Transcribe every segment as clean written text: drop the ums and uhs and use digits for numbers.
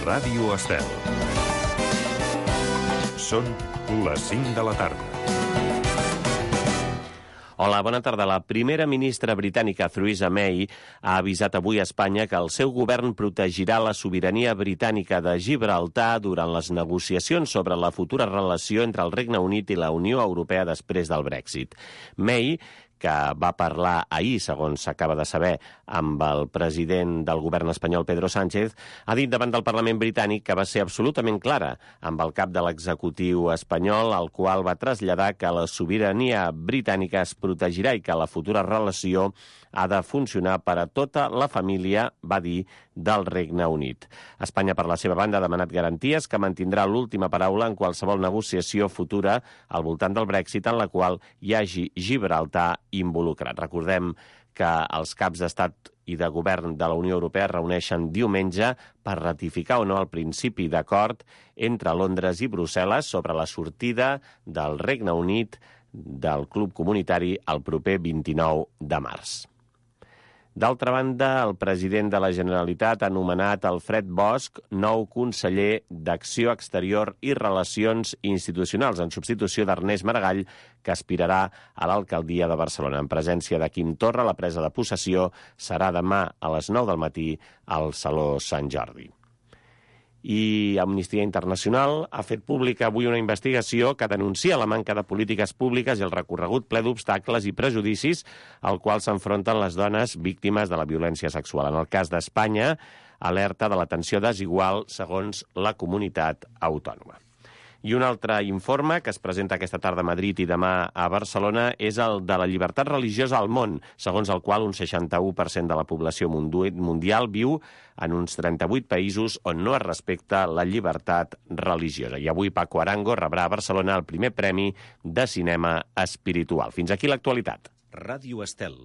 Ràdio Estel. Són les 5 de la tarda. Hola, bona tarda. La primera ministra britànica, Theresa May, ha avisat avui a Espanya que el seu govern protegirà la sobirania britànica de Gibraltar durant les negociacions sobre la futura relació entre el Regne Unit i la Unió Europea després del Brexit. May, que va parlar ahir, segons s'acaba de saber, amb el president del govern espanyol, Pedro Sánchez, ha dit davant del Parlament britànic que va ser absolutament clara amb el cap de l'executiu espanyol, al qual va traslladar que la sobirania britànica es protegirà i que la futura relació ha de funcionar per a tota la família, va dir, del Regne Unit. Espanya, per la seva banda, ha demanat garanties que mantindrà l'última paraula en qualsevol negociació futura al voltant del Brexit en la qual hi hagi Gibraltar involucrat. Recordem que els caps d'estat i de govern de la Unió Europea es reuneixen diumenge per ratificar o no el principi d'acord entre Londres i Brussel·les sobre la sortida del Regne Unit del club comunitari el proper 29 de març. D'altra banda, el president de la Generalitat ha nomenat Alfred Bosch nou conseller d'Acció Exterior i Relacions Institucionals, en substitució d'Ernest Maragall, que aspirarà a l'alcaldia de Barcelona. En presència de Quim Torra, la presa de possessió serà demà a les 9 del matí al Saló Sant Jordi. I Amnistia Internacional ha fet pública avui una investigació que denuncia la manca de polítiques públiques i el recorregut ple d'obstacles i prejudicis al qual s'enfronten les dones víctimes de la violència sexual. En el cas d'Espanya, alerta de l'atenció desigual segons la comunitat autònoma. I un altre informe que es presenta aquesta tarda a Madrid i demà a Barcelona és el de la llibertat religiosa al món, segons el qual un 61% de la població mundial viu en uns 38 països on no es respecta la llibertat religiosa. I avui Paco Arango rebrà a Barcelona el primer premi de cinema espiritual. Fins aquí l'actualitat. Ràdio Estel.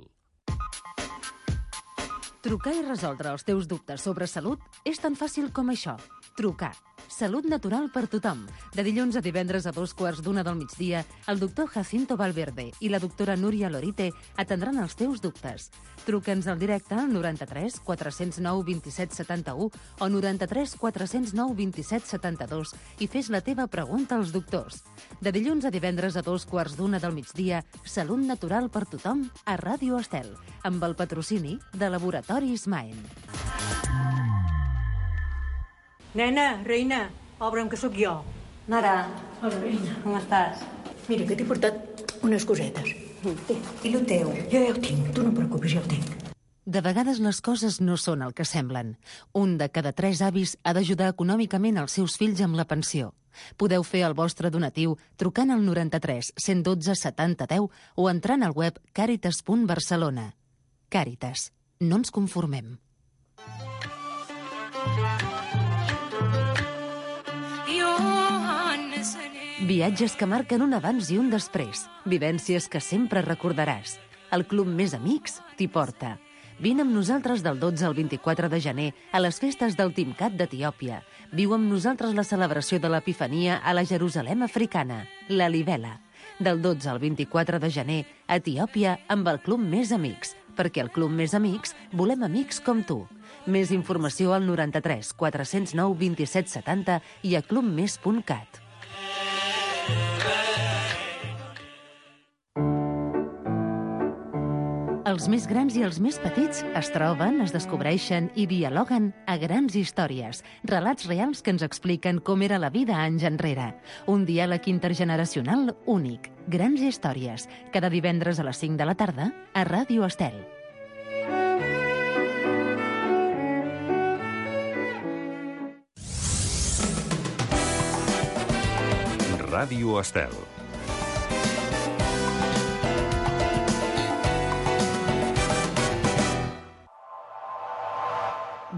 Trucar i resoldre els teus dubtes sobre salut és tan fàcil com això. Trucar. Salut natural per tothom. De dilluns a divendres a 2:15 del migdia, el doctor Jacinto Valverde i la doctora Núria Lorite atendran els teus dubtes. Truca'ns al directe al 93 409 27 71 o 93 409 27 72 i fes la teva pregunta als doctors. De dilluns a divendres a 2:15 del migdia, Salut natural per tothom a Ràdio Estel, amb el patrocini de Laboratoris Maen. Nena, reina, obre'm que sóc jo. Nara. Hola, reina. Com estàs? Mira, que t'he portat unes cosetes. I el teu? Jo ja ho tinc, tu no preocupis, ja ho tinc. De vegades les coses no són el que semblen. Un de cada 3 avis ha d'ajudar econòmicament els seus fills amb la pensió. Podeu fer el vostre donatiu trucant al 93 112 70 10 o entrant al web caritas.barcelona. Càritas. No ens conformem. Viatges que marquen un abans i un després. Vivències que sempre recordaràs. El Club Més Amics t'hi porta. Vine amb nosaltres del 12 al 24 de gener a les festes del Timcat d'Etiòpia. Viu amb nosaltres la celebració de l'Epifania a la Jerusalem africana, la Libela. Del 12 al 24 de gener a Etiòpia amb el Club Més Amics, perquè al Club Més Amics volem amics com tu. Més informació al 93 409 27 70 i a clubmes.cat. Els més grans i els més petits es troben, es descobreixen i dialoguen a Grans Històries, relats reals que ens expliquen com era la vida anys enrere. Un diàleg intergeneracional únic. Grans Històries, cada divendres a les 5 de la tarda a Ràdio Estel. Ràdio Estel.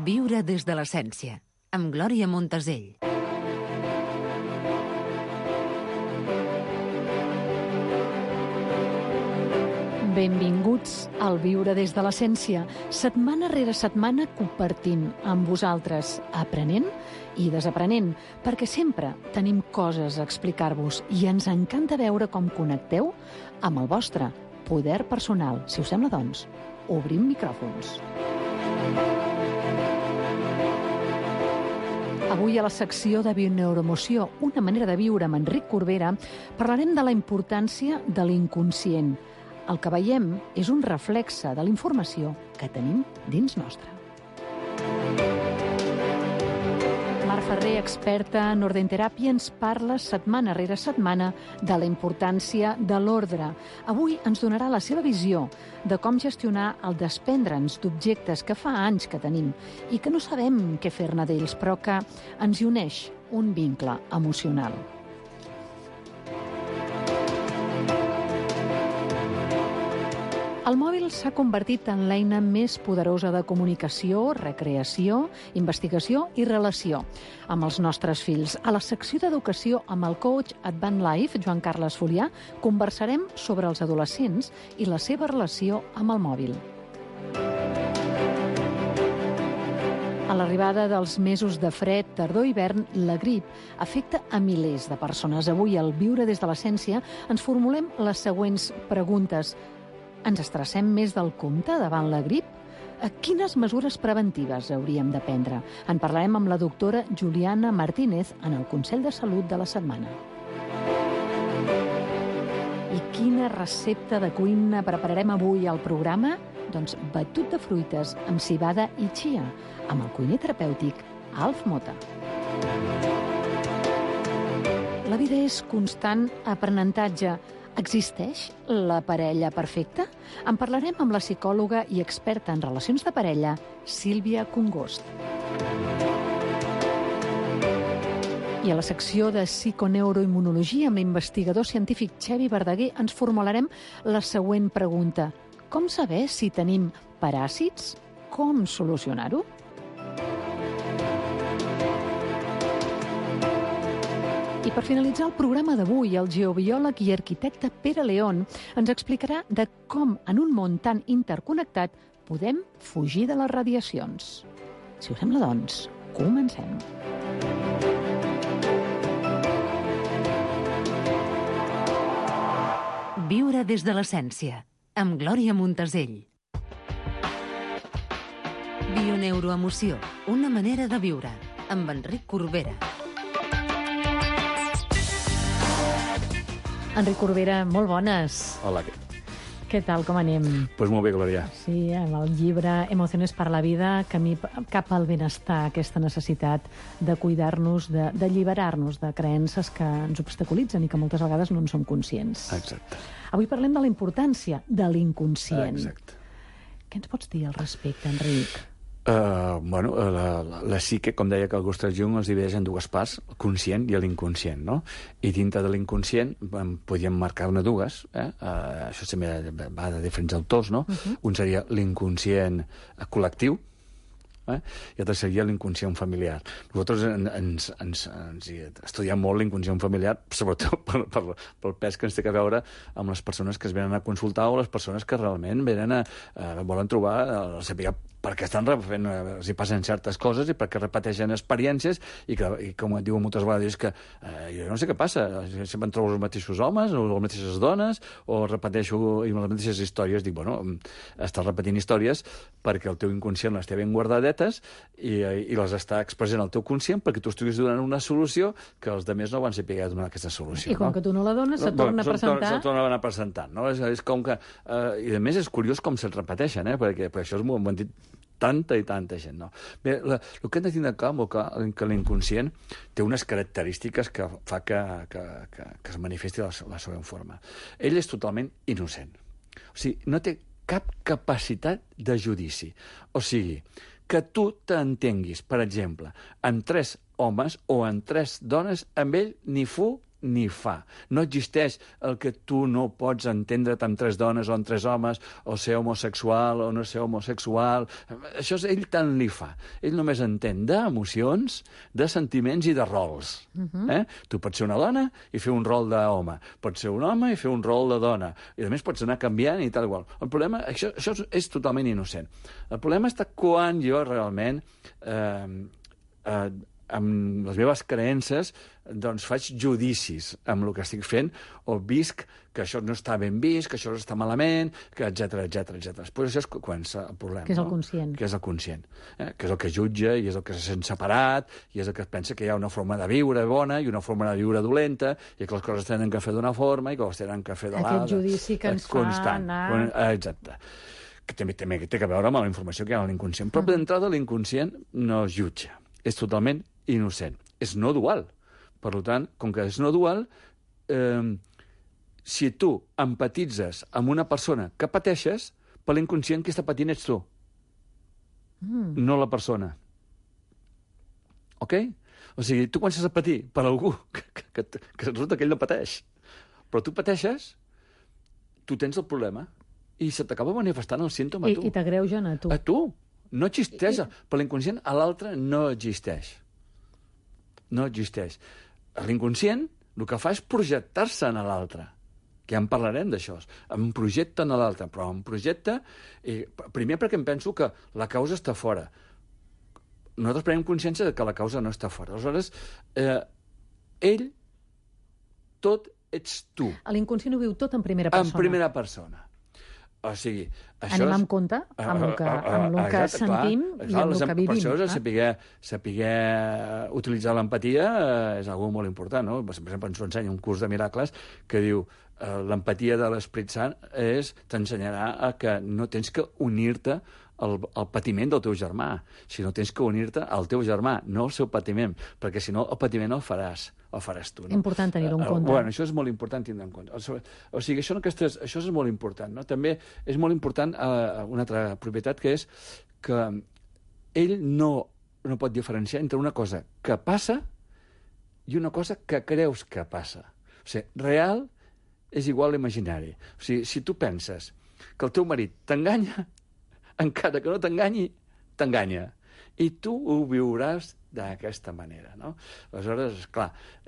Viure des de l'essència, amb Glòria Montesell. Benvinguts al Viure des de l'essència, setmana rere setmana compartint amb vosaltres, aprenent i desaprenent, perquè sempre tenim coses a explicar-vos i ens encanta veure com connecteu amb el vostre poder personal. Si us sembla, doncs, obrim micròfons. Avui a la secció de Bioneuroemoció, una manera de viure amb Enric Corbera, parlarem de la importància de l'inconscient. El que veiem és un reflexe de la informació que tenim dins nostre. Mar Ferrer, experta en ordenteràpia, ens parla setmana rere setmana de la importància de l'ordre. Avui ens donarà la seva visió de com gestionar el desprendre'ns d'objectes que fa anys que tenim i que no sabem què fer-ne d'ells, però que ens hi uneix un vincle emocional. El mòbil s'ha convertit en l'eina més poderosa de comunicació, recreació, investigació i relació amb els nostres fills. A la secció d'educació amb el coach Advent Life, Joan Carles Folià, conversarem sobre els adolescents i la seva relació amb el mòbil. A l'arribada dels mesos de fred, tardor i hivern, la grip afecta a milers de persones. Avui, al Viure des de l'Essència, ens formulem les següents preguntes. Ens estressem més del compte davant la grip? Quines mesures preventives hauríem de prendre? En parlarem amb la doctora Juliana Martínez en el Consell de Salut de la setmana. I quina recepta de cuina prepararem avui al programa? Doncs batut de fruites amb civada i chia, amb el cuiner terapèutic Alf Mota. La vida és constant aprenentatge. Existeix la parella perfecta? En parlarem amb la psicòloga i experta en relacions de parella, Sílvia Congost. I a la secció de psiconeuroimmunologia amb l'investigador científic Xevi Verdaguer ens formularem la següent pregunta. Com saber si tenim paràsits? Com solucionar-ho? I per finalitzar el programa d'avui, el geobiòleg i arquitecte Pere León ens explicarà de com, en un món tan interconnectat, podem fugir de les radiacions. Si us sembla, doncs, comencem. Viure des de l'essència, amb Glòria Montesell. Bioneuroemoció, una manera de viure, amb Enric Corbera. Enric Corbera, molt bones. Hola. Què tal, com anem? Pues molt bé, Glòria. Sí, amb el llibre Emociones per la vida, camí cap al benestar, aquesta necessitat de cuidar-nos, d'alliberar-nos de creences que ens obstaculitzen i que moltes vegades no en som conscients. Exacte. Avui parlem de la importància de l'inconscient. Exacte. Què ens pots dir al respecte, Enric? La psique, com deia Carl Gustav Jung, es divideix en dues parts, el conscient i l'inconscient, no? I dintre de l'inconscient podríem marcar-ne dues, això també va de diferents autors, no? Un seria l'inconscient col·lectiu, i l'altre seria l'inconscient familiar. Nosaltres ens estudiem molt l'inconscient familiar, sobretot pel pes que ens té a veure amb les persones que es venen a consultar o les persones que realment venen volen trobar, saber per què estan fent, els hi passen certes coses i per què repeteixen experiències i com et diuen moltes vegades, que jo no sé què passa, sempre em trobo els mateixos homes o les mateixes dones o repeteixo les mateixes històries. Dic, bueno, estàs repetint històries perquè el teu inconscient les té ben guardadetes i les està expressant al teu conscient perquè tu estiguis donant una solució que els altres no van saber donar aquesta solució. I com que tu no la dones, se't torna a presentar. Se't torna a anar presentant, no? És com que... I a més és curiós com se't repeteixen, perquè això és molt... M'ho han dit tanta i tanta gent, no? Bé, el que hem de tindre clar que l'inconscient té unes característiques que fa que es manifesti la següent forma. Ell és totalment innocent. O sigui, no té cap capacitat de judici. O sigui, que tu t'entenguis, per exemple, amb 3 homes o amb 3 dones, amb ell ni fu ni fa. No existeix el que tu no pots entendre't amb 3 dones o amb 3 homes, o ser homosexual o no ser homosexual. Això ell tant li fa. Ell només entén d'emocions, de sentiments i de rols. Tu pots ser una dona i fer un rol d'home. Pots ser un home i fer un rol de dona. I a més pots anar canviant i tal igual. El problema, això és totalment innocent. El problema està quan jo realment amb les meves creences, doncs faig judicis amb el que estic fent, o visc que això no està ben vist, que això està malament, que etcètera. Després això és quan el problema. Que és el conscient. Que és el conscient. Que és el que jutja, i és el que se sent separat, i és el que pensa que hi ha una forma de viure bona i una forma de viure dolenta, i que les coses tenen que fer d'una forma i que les tenen que fer de l'altra. Aquest judici que ens fa anar... Exacte. Que també té que veure amb la informació que hi ha a l'inconscient. Però d'entrada l'inconscient no es jutja. És totalment innocent. És no dual. Per tant, com que és no dual, si tu empatitzes amb una persona que pateixes, per l'inconscient qui està patint ets tu, no la persona. Ok? O sigui, tu comences a patir per algú que resulta que ell no pateix, però tu pateixes, tu tens el problema i se t'acaba manifestant el símptoma a tu. I t'agreugen a tu. A tu. No existeix. Per l'inconscient, a l'altre no existeix. No existeix. L'inconscient el que fa és projectar-se en l'altre. Que ja en parlarem d'això. Em projecta en l'altre, però em projecta... Primer perquè em penso que la causa està fora. Nosaltres prenem consciència que la causa no està fora. Aleshores, ell, tot ets tu. L'inconscient ho viu tot en primera persona. En primera persona. O sigui, això anem amb compte amb el que sentim i amb el que vivim. Per això saber utilitzar l'empatia és una cosa molt important, no? Per exemple, ens ho ensenya un curs de miracles que diu l'empatia de l'Esperit Sant t'ensenyarà que no tens que unir-te al patiment del teu germà, sinó tens que unir-te al teu germà, no al seu patiment, perquè si no el patiment el faràs tu. No? Important tenir-ho en compte. Bueno, això és molt important tenir-ho en compte. O sigui, això és molt important. No? També és molt important una altra propietat, que és que ell no pot diferenciar entre una cosa que passa i una cosa que creus que passa. O sigui, real és igual a imaginari. O sigui, si tu penses que el teu marit t'enganya, encara que no t'enganyi, t'enganya. I tu ho viuràs d'aquesta manera, no? Aleshores, clar,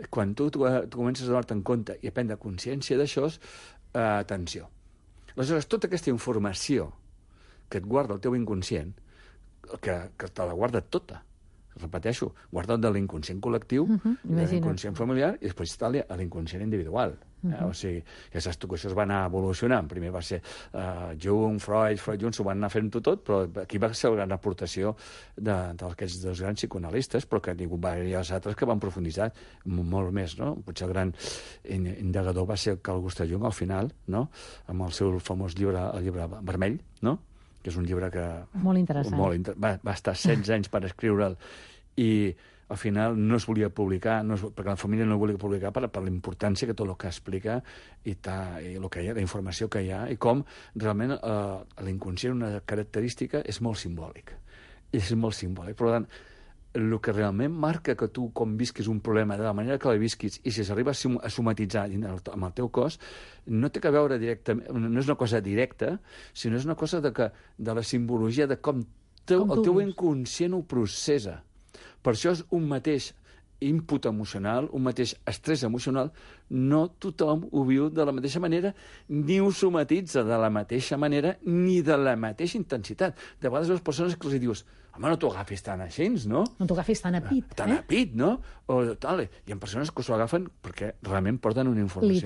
quan tu comences a donar-te en compte i a prendre consciència d'això, atenció. Aleshores, tota aquesta informació que et guarda el teu inconscient, que te la guarda tota, repeteixo, guarda de l'inconscient col·lectiu, de l'inconscient familiar, i després està l'inconscient individual. O sigui, ja saps tu que això es va anar evolucionant. Primer va ser Jung, Freud s'ho van anar fent tot, però aquí va ser la gran aportació d'aquests dos grans psicoanalistes, però que ningú va haver-hi els altres que van profunditzar molt més, no? Potser el gran indagador va ser Carl Gustav Jung al final, no? Amb el seu famós llibre, el llibre vermell, no? Que és un llibre que... Molt interessant. Va estar 16 anys per escriure'l i al final no es volia publicar, perquè la família no volia publicar per la importància que tot el que explica i el que hi ha, la informació que hi ha, i com realment l'inconscient, una característica, és molt simbòlic. És molt simbòlic. Per tant, el que realment marca que tu, com visquis un problema, de la manera que la visquis, i si s'arriba a somatitzar amb el teu cos, no té que veure directament, no és una cosa directa, sinó és una cosa de la simbologia de com el teu inconscient ho processa. Per això és un mateix input emocional, un mateix estrès emocional, no tothom ho viu de la mateixa manera, ni ho somatitza de la mateixa manera, ni de la mateixa intensitat. De vegades les persones que els dius, home, no t'ho agafis tan així, no? No t'ho agafis tan a pit, Tan a pit, no? O tal. Hi ha persones que s'ho agafen perquè realment porten una informació.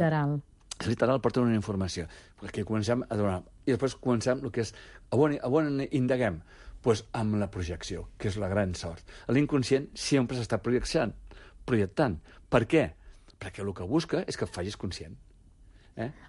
Literal, porten una informació. Perquè comencem a donar... I després comencem el que és... A on indaguem? Doncs amb la projecció, que és la gran sort. L'inconscient sempre s'està projectant. Per què? Perquè el que busca és que et facis conscient.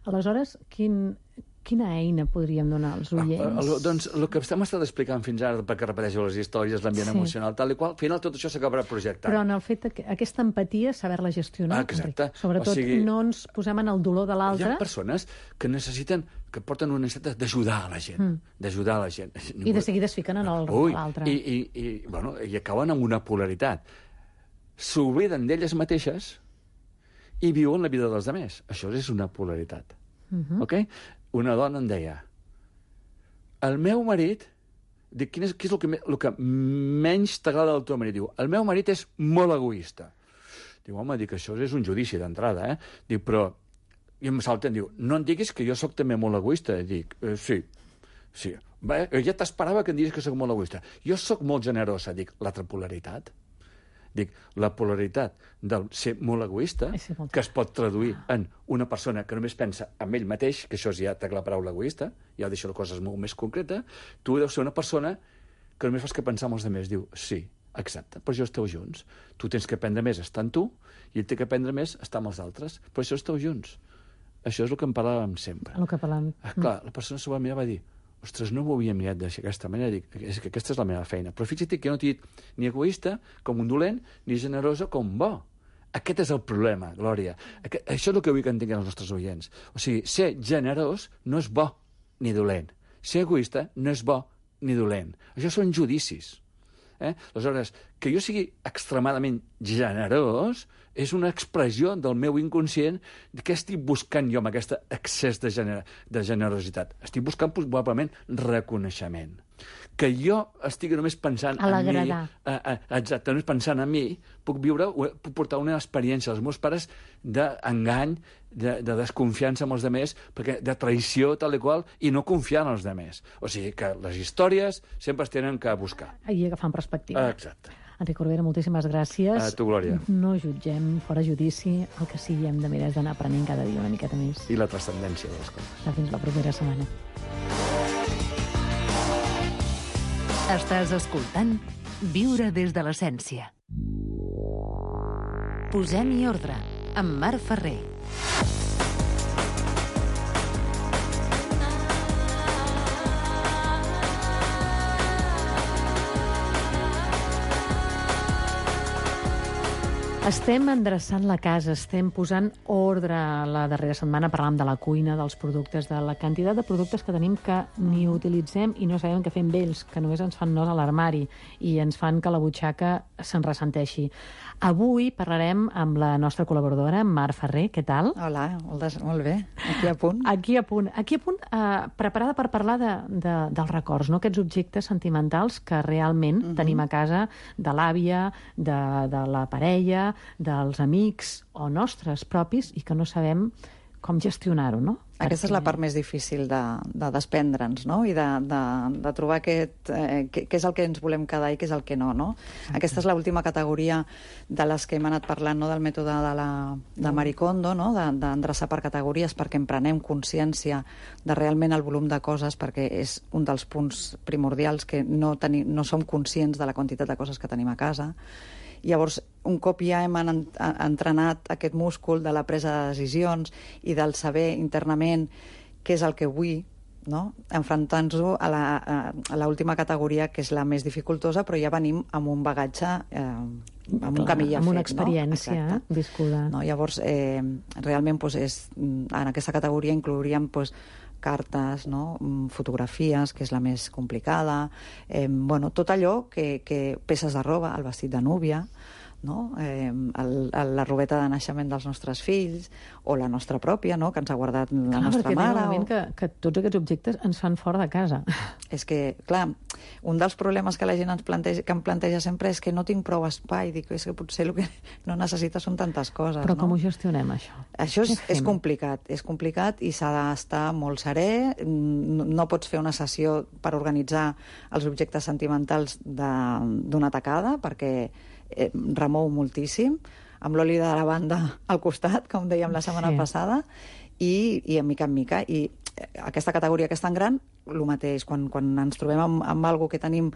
Aleshores, quina eina podríem donar als oients? Doncs el que hem estat explicant fins ara, perquè repeteixo les històries, l'ambient emocional, tal i qual, al final tot això s'acabarà projectant. Però en el fet que aquesta empatia, saber-la gestionar, exacte. Sobretot no ens posem en el dolor de l'altre. Hi ha persones que necessiten, que porten una necessitat d'ajudar a la gent, d'ajudar a la gent. I de seguida es fiquen en l'altre. I acaben amb una polaritat. S'obliden d'elles mateixes i viuen la vida dels altres. Això és una polaritat. Ok? Una dona em deia, el meu marit, dic, què és el que menys t'agrada del teu marit? Diu, el meu marit és molt egoista. Diu, home, això és un judici d'entrada, Dic, però... I em salten, diu, no em diguis que jo sóc també molt egoista. Dic, sí. Ja t'esperava que em diguis que sóc molt egoista. Jo sóc molt generosa. Dic, l'altra polaritat. Dic, la polaritat del ser molt egoista, que es pot traduir en una persona que només pensa en ell mateix, que això ja té la paraula egoista, ja deixo les coses molt més concretes, tu deus ser una persona que només fas que pensar en els altres. Diu, sí, exacte, però això esteu junts. Tu tens que aprendre més estar en tu i ell té que aprendre més estar amb els altres. Però això esteu junts. Això és el que en parlàvem sempre. El que parlàvem. Clar, la persona s'ho va mirar i va dir, ostres, no m'ho havia mirat d'aquesta manera. Dic, és que aquesta és la meva feina. Però fixa't que jo no t'he dit ni egoista com un dolent, ni generosa com un bo. Aquest és el problema, Glòria. Això és el que vull que entenguin els nostres oients. O sigui, ser generós no és bo ni dolent. Ser egoista no és bo ni dolent. Això són judicis. Aleshores, que jo sigui extremadament generós és una expressió del meu inconscient de què estic buscant jo amb aquest excés de generositat. Estic buscant probablement reconeixement. Que jo estigui només pensant en mi... Exacte, només pensant en mi, puc portar una experiència als meus pares d'engany, de desconfiança amb els altres, de traïció tal i qual, i no confiar en els altres. O sigui que les històries sempre es tenen que buscar. I agafant perspectiva. Exacte. Enric Corbera, moltíssimes gràcies. A tu, Glòria. No jutgem, fora judici, el que sí hem de mirar és d'anar aprenent cada dia una miqueta més. I la transcendència de les coses. Fins la propera setmana. Estàs escoltant Viure des de l'essència. Posem-hi ordre, amb Marc Ferrer. Estem endreçant la casa, estem posant ordre. La darrera setmana parlàvem de la cuina, dels productes, de la quantitat de productes que tenim que ni utilitzem i no sabem què fer amb ells, que només ens fan nos a l'armari i ens fan que la butxaca se'n ressenteixi. Avui parlarem amb la nostra col·laboradora, Marc Ferrer. Què tal? Hola, molt bé. Aquí a punt. Aquí a punt, preparada per parlar dels records, no? Aquests objectes sentimentals que realment tenim a casa, de l'àvia, de la parella, dels amics o nostres propis, i que no sabem com gestionar-ho, no? Aquesta és la part més difícil de desprendre'ns, no? I de trobar què és el que ens volem quedar i què és el que no, no? Aquesta és l'última categoria de les que hem anat parlant, no? Del mètode de Marie Kondo, no? D'endreçar per categories perquè en prenem consciència de realment el volum de coses, perquè és un dels punts primordials que no som conscients de la quantitat de coses que tenim a casa. Llavors, un cop ja hem entrenat aquest múscul de la presa de decisions i del saber internament què és el que vull, no? Enfrontant-nos a l'última categoria, que és la més dificultosa, però ja venim amb un bagatge, amb un camí ja fet. Amb una experiència viscuda. No? Llavors, realment, en aquesta categoria inclouríem cartes, no? Fotografies, que és la més complicada, tot allò peces de roba, el vestit de núvia, no? La robeta de naixement dels nostres fills, o la nostra pròpia, no? Que ens ha guardat la nostra mare. Clar, que tots aquests objectes ens fan fora de casa. És que, clar, un dels problemes que la gent em planteja sempre és que no tinc prou espai. Dic, és que potser el que no necessita són tantes coses. Però com ho gestionem, això? Això és complicat i s'ha d'estar molt serè. No pots fer una sessió per organitzar els objectes sentimentals d'una tacada, perquè remou moltíssim, amb l'oli de lavanda al costat, com dèiem la setmana passada, i en mica en mica. I aquesta categoria que és tan gran, el mateix, quan ens trobem amb alguna que tenim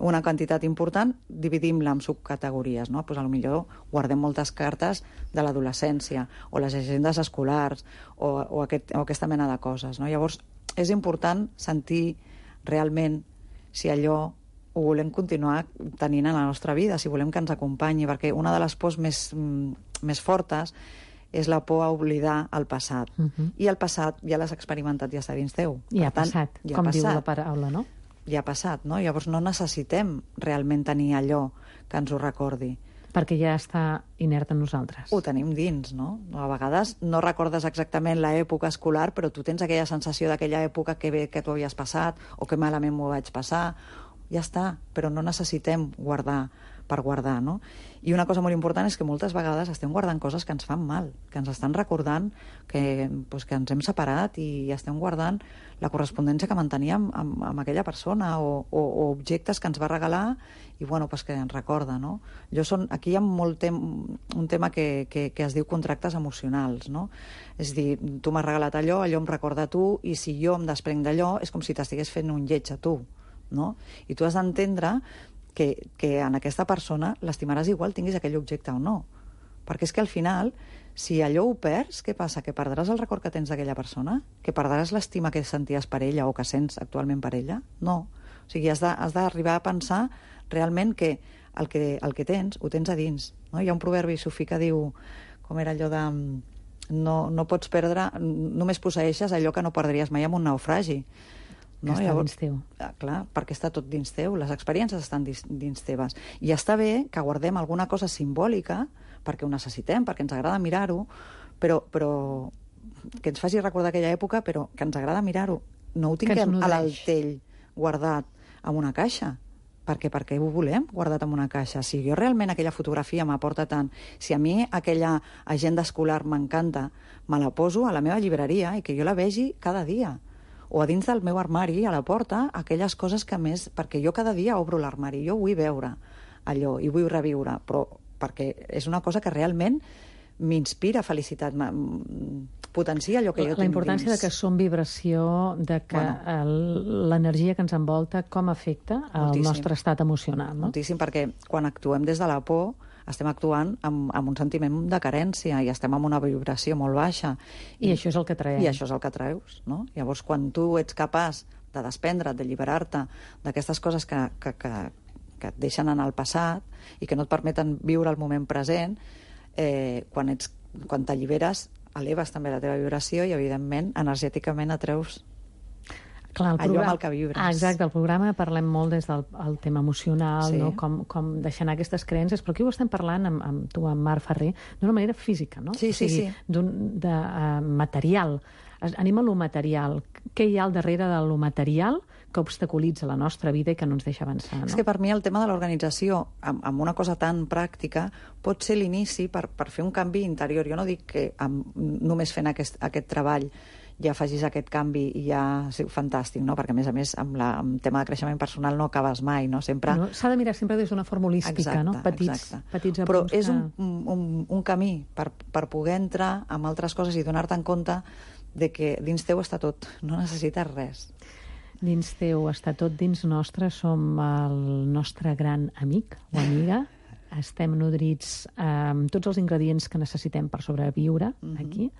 una quantitat important, dividim-la en subcategories, no? Pues potser guardem moltes cartes de l'adolescència, o les agendes escolars, o aquesta mena de coses, no? Llavors, és important sentir realment si allò ho volem continuar tenint en la nostra vida, si volem que ens acompanyi, perquè una de les pors més fortes és la por a oblidar el passat. I el passat ja l'has experimentat, ja està dins teu. Ja ha passat, com diu la paraula, no? Ja ha passat, no? Llavors no necessitem realment tenir allò que ens ho recordi. Perquè ja està inert en nosaltres. Ho tenim dins, no? A vegades no recordes exactament l'època escolar, però tu tens aquella sensació d'aquella època que bé que tu havies passat, o que malament m'ho vaig passar. Ja està, però no necessitem guardar per guardar, no? I una cosa molt important és que moltes vegades estem guardant coses que ens fan mal, que ens estan recordant que ens hem separat i estem guardant la correspondència que manteníem amb aquella persona o objectes que ens va regalar i que ens recorda, no? Aquí hi ha un tema que es diu contractes emocionals, no? És a dir, tu m'has regalat allò em recorda a tu, i si jo em desprenc d'allò és com si t'estigués fent un lleig a tu, no? I tu has d'entendre que en aquesta persona l'estimaràs igual tinguis aquell objecte o no. Perquè és que al final, si allò ho perds, què passa? Que perdràs el record que tens d'aquella persona? Que perdràs l'estima que senties per ella o que sents actualment per ella? No. O sigui, has d'arribar a pensar realment que el que tens, ho tens a dins. No? Hi ha un proverbi sufí que diu, com era allò de... No pots perdre, només posseeixes allò que no perdries mai en un naufragi. Que està dins teu. Clar, perquè està tot dins teu, les experiències estan dins teves. I està bé que guardem alguna cosa simbòlica, perquè ho necessitem, perquè ens agrada mirar-ho, però que ens faci recordar aquella època, però que ens agrada mirar-ho. No ho tinguem a l'altell guardat en una caixa, perquè ho volem guardat en una caixa. Si jo realment aquella fotografia m'aporta tant, si a mi aquella agenda escolar m'encanta, me la poso a la meva llibreria i que jo la vegi cada dia. O a dins del meu armari, a la porta, aquelles coses que més... Perquè jo cada dia obro l'armari, jo vull veure allò i vull reviure, però perquè és una cosa que realment m'inspira felicitat, potencia allò que jo tinc dins. La importància de que som vibració, de que l'energia que ens envolta, com afecta el nostre estat emocional, no? Moltíssim, perquè quan actuem des de la por estem actuant amb un sentiment de carència i estem amb una vibració molt baixa. I això és el que traiem. I això és el que traus, no? Llavors, quan tu ets capaç de desprendre't, d'alliberar-te d'aquestes coses que et deixen en el passat i que no et permeten viure el moment present, quan t'alliberes, eleves també la teva vibració i, evidentment, energèticament atreus allò amb el que vibres. Exacte, al programa parlem molt des del tema emocional, no? Com deixar anar aquestes creences, però aquí ho estem parlant amb tu, amb Marc Ferrer, d'una manera física, no? Sí. De material. Anem a lo material. Què hi ha al darrere de lo material que obstaculitza la nostra vida i que no ens deixa avançar, no? És que per mi el tema de l'organització, amb una cosa tan pràctica, pot ser l'inici per fer un canvi interior. Jo no dic que només fent aquest treball ja facis aquest canvi i ja és fantàstic, no? Perquè, a més, amb el tema de creixement personal no acabes mai, no? S'ha de mirar sempre des d'una forma holística, no? Petits apunts. Però és un camí per poder entrar amb altres coses i donar-te en compte de que dins teu està tot, no necessites res. Dins teu està tot, dins nostre som el nostre gran amic o amiga. Estem nodrits amb tots els ingredients que necessitem per sobreviure aquí.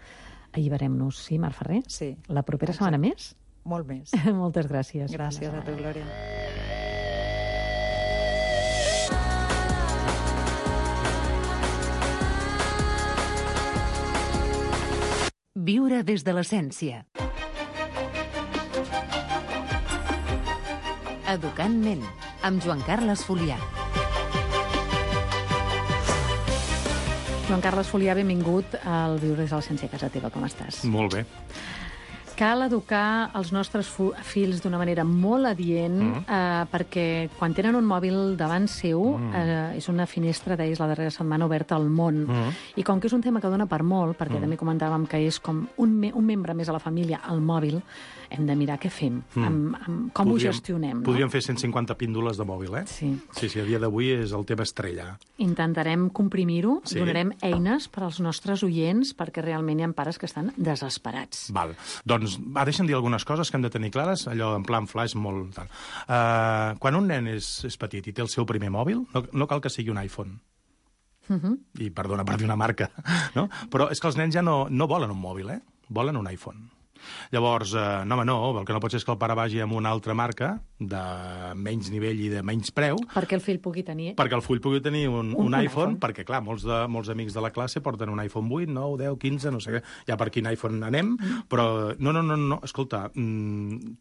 Alliberem-nos, sí, Marc Ferrer? Sí. La propera setmana més? Molt més. Moltes gràcies. Gràcies a tu, Glòria. Viure des de l'essència. Educant ment, amb Joan Carles Folià. Joan Carles Folià, benvingut al Viure des de l'essència a casa teva. Com estàs? Molt bé. Cal educar els nostres fills d'una manera molt adient perquè quan tenen un mòbil davant seu és una finestra, deies la darrera setmana, oberta al món. I com que és un tema que dona per molt, perquè també comentàvem que és com un membre més a la família, el mòbil, hem de mirar què fem, com ho gestionem. Podríem fer 150 píndoles de mòbil, eh? Sí. Sí, a dia d'avui és el tema estrella. Intentarem comprimir-ho, donarem eines per als nostres oients, perquè realment hi ha pares que estan desesperats. Val. Doncs deixa'm dir algunes coses que hem de tenir clares, allò en plan flash molt tal. Quan un nen és petit i té el seu primer mòbil, no cal que sigui un iPhone. I perdona per dir una marca, no? Però és que els nens ja no volen un mòbil, volen un iPhone. Llavors, no, el que no pot ser és que el pare vagi amb una altra marca de menys nivell i de menys preu. Perquè el fill pugui tenir... Perquè el fill pugui tenir un iPhone, perquè, clar, molts amics de la classe porten un iPhone 8, 9, 10, 15, no sé què, ja per quin iPhone anem, però no, escolta,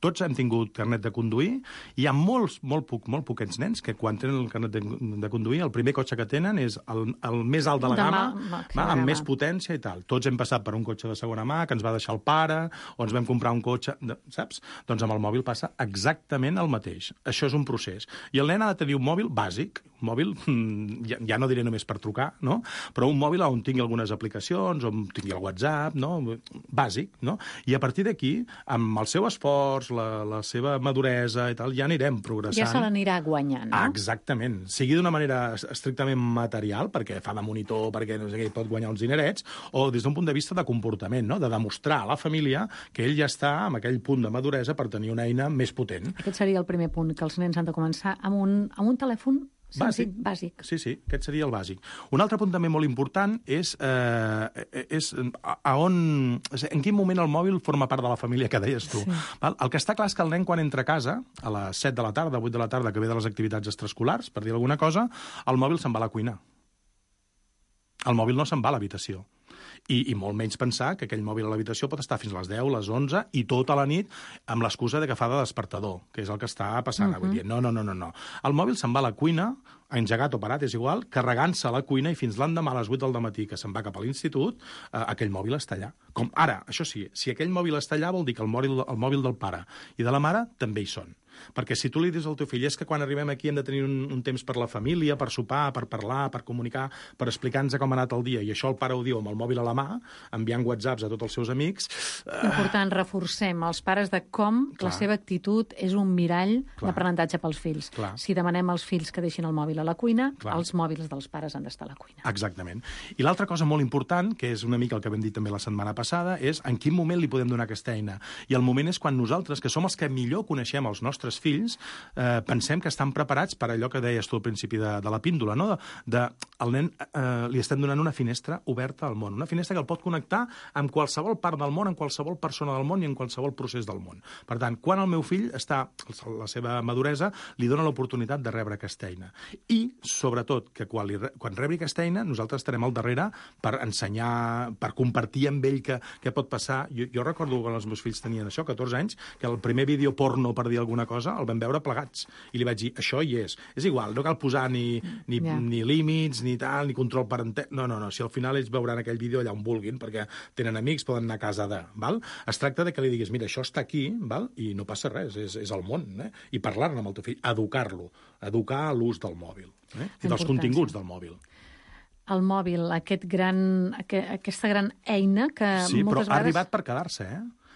tots hem tingut carnet de conduir, i hi ha molt poquets nens que quan tenen el carnet de conduir, el primer cotxe que tenen és el més alt de la gamma, amb més potència i tal. Tots hem passat per un cotxe de segona mà, que ens va deixar el pare, o ens vam comprar un cotxe, saps? Doncs amb el mòbil passa exactament el mateix. Això és un procés. I el nen ha de tenir un mòbil bàsic, un mòbil, ja no diré només per trucar, no? Però un mòbil on tingui algunes aplicacions, on tingui el WhatsApp, no? Bàsic, no? I a partir d'aquí, amb el seu esforç, la seva maduresa i tal, ja anirem progressant. Ja se l'anirà guanyant, no? Exactament. Sigui d'una manera estrictament material, perquè fa de monitor, perquè no sé què, pot guanyar uns dinerets, o des d'un punt de vista de comportament, no? De demostrar a la família que ell ja està amb aquell punt de maduresa per tenir una eina més potent. Aquest seria el primer punt, que els nens han de començar amb un telèfon bàsic. Sí, aquest seria el bàsic. Un altre punt també molt important és en quin moment el mòbil forma part de la família, que deies tu. Sí. Val? El que està clar és que el nen, quan entra a casa, a les 7 de la tarda, 8 de la tarda, que ve de les activitats extraescolars, per dir alguna cosa, el mòbil se'n va a la cuina. El mòbil no se'n va a l'habitació. I molt menys pensar que aquell mòbil a l'habitació pot estar fins a les 10, les 11 i tota la nit amb l'excusa de que fa de despertador, que és el que està passant avui dia. No. El mòbil se'n va a la cuina, engegat o parat, és igual, carregant-se a la cuina i fins l'endemà a les 8 del dematí que se'n va cap a l'institut, aquell mòbil està allà. Com ara, això sí, si aquell mòbil està allà vol dir que el mòbil del pare i de la mare també hi són. Perquè si tu li dius al teu fill és que quan arribem aquí hem de tenir un temps per la família, per sopar, per parlar, per comunicar, per explicar-nos com ha anat el dia, i això el pare ho diu amb el mòbil a la mà, enviant whatsapps a tots els seus amics... Important, reforcem els pares de com la seva actitud és un mirall d'aprenentatge pels fills. Si demanem als fills que deixin el mòbil a la cuina, els mòbils dels pares han d'estar a la cuina. Exactament. I l'altra cosa molt important, que és una mica el que vam dir també la setmana passada, és en quin moment li podem donar aquesta eina. I el moment és quan nosaltres, que som els que millor coneixem els nostres fills, pensem que estan preparats per allò que deies tu al principi de la píndola, no? El nen li estem donant una finestra oberta al món, una finestra que el pot connectar amb qualsevol part del món, amb qualsevol persona del món i en qualsevol procés del món. Per tant, quan el meu fill està, la seva maduresa, li dona l'oportunitat de rebre aquesta eina. I, sobretot, que quan rebi aquesta eina, nosaltres estarem al darrere per ensenyar, per compartir amb ell què pot passar. Jo recordo quan els meus fills tenien això, 14 anys, que el primer vídeo porno, per dir alguna cosa, el vam veure plegats. I li vaig dir, això hi és. És igual, no cal posar ni límits, ni tal, ni control parental. No. Si al final ells veuran aquell vídeo allà on vulguin, perquè tenen amics, poden anar a casa de... Val? Es tracta de que li diguis, mira, això està aquí, val? I no passa res, és el món. I parlar-ne amb el teu fill, educar-lo, educar l'ús del mòbil i dels continguts del mòbil. El mòbil, aquesta gran eina que moltes vegades... Sí, però ha arribat per quedar-se,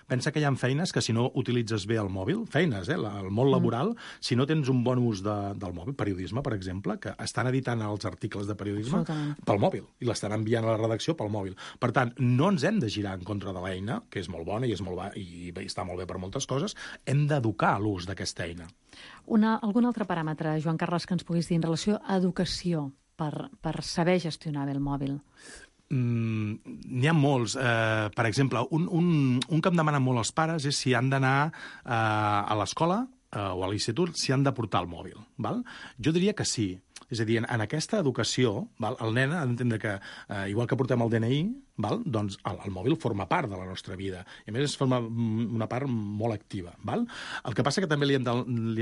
Pensa que hi ha feines que si no utilitzes bé el mòbil, feines, el món laboral, si no tens un bon ús del mòbil, periodisme, per exemple, que estan editant els articles de periodisme pel mòbil i l'estan enviant a la redacció pel mòbil. Per tant, no ens hem de girar en contra de l'eina, que és molt bona i està molt bé per moltes coses, hem d'educar l'ús d'aquesta eina. Algun altre paràmetre, Joan Carles, que ens puguis dir en relació a educació per saber gestionar bé el mòbil? N'hi ha molts. Per exemple, un que em demanen molt els pares és si han d'anar a l'escola o a l'institut, si han de portar el mòbil. Val? Jo diria que sí. És a dir, en aquesta educació, el nen ha d'entendre que, igual que portem el DNI, doncs el mòbil forma part de la nostra vida. I a més, forma una part molt activa. El que passa que també li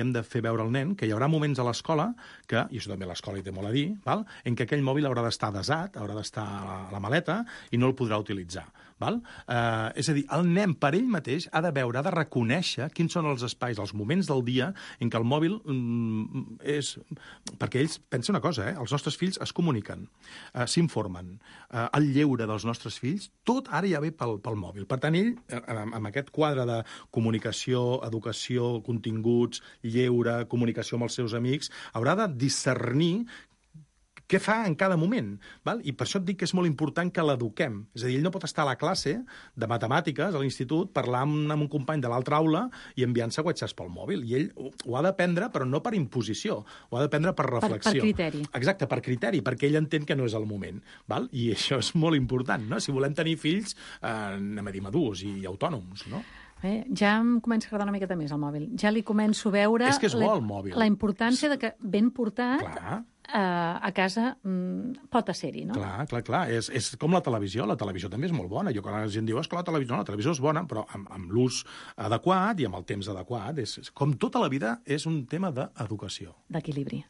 hem de fer veure al nen que hi haurà moments a l'escola, i això també l'escola hi té molt a dir, en què aquell mòbil haurà d'estar desat, haurà d'estar a la maleta i no el podrà utilitzar. És a dir, el nen per ell mateix ha de veure, ha de reconèixer quins són els espais, els moments del dia en què el mòbil és... Perquè ells, pensa una cosa, els nostres fills es comuniquen, s'informen, el lleure dels nostres fills, tot ara ja ve pel mòbil. Per tant, ell, amb aquest quadre de comunicació, educació, continguts, lleure, comunicació amb els seus amics, haurà de discernir què fa en cada moment. I per això et dic que és molt important que l'eduquem. És a dir, ell no pot estar a la classe de matemàtiques a l'institut parlant amb un company de l'altra aula i enviant-se whatsapps pel mòbil. I ell ho ha d'aprendre, però no per imposició. Ho ha d'aprendre per reflexió. Per criteri. Exacte, per criteri, perquè ell entén que no és el moment. I això és molt important, no? Si volem tenir fills, anem a dir madurs i autònoms, no? Ja em comença a agradar una miqueta més el mòbil. Ja li començo a veure és que és bo, el mòbil. La importància de que ben portat a casa pot ser-hi, no? Clar. És com la televisió. La televisió també és molt bona. Jo quan la gent diu, la televisió és bona, però amb l'ús adequat i amb el temps adequat. Com tota la vida, és un tema d'educació. D'equilibri.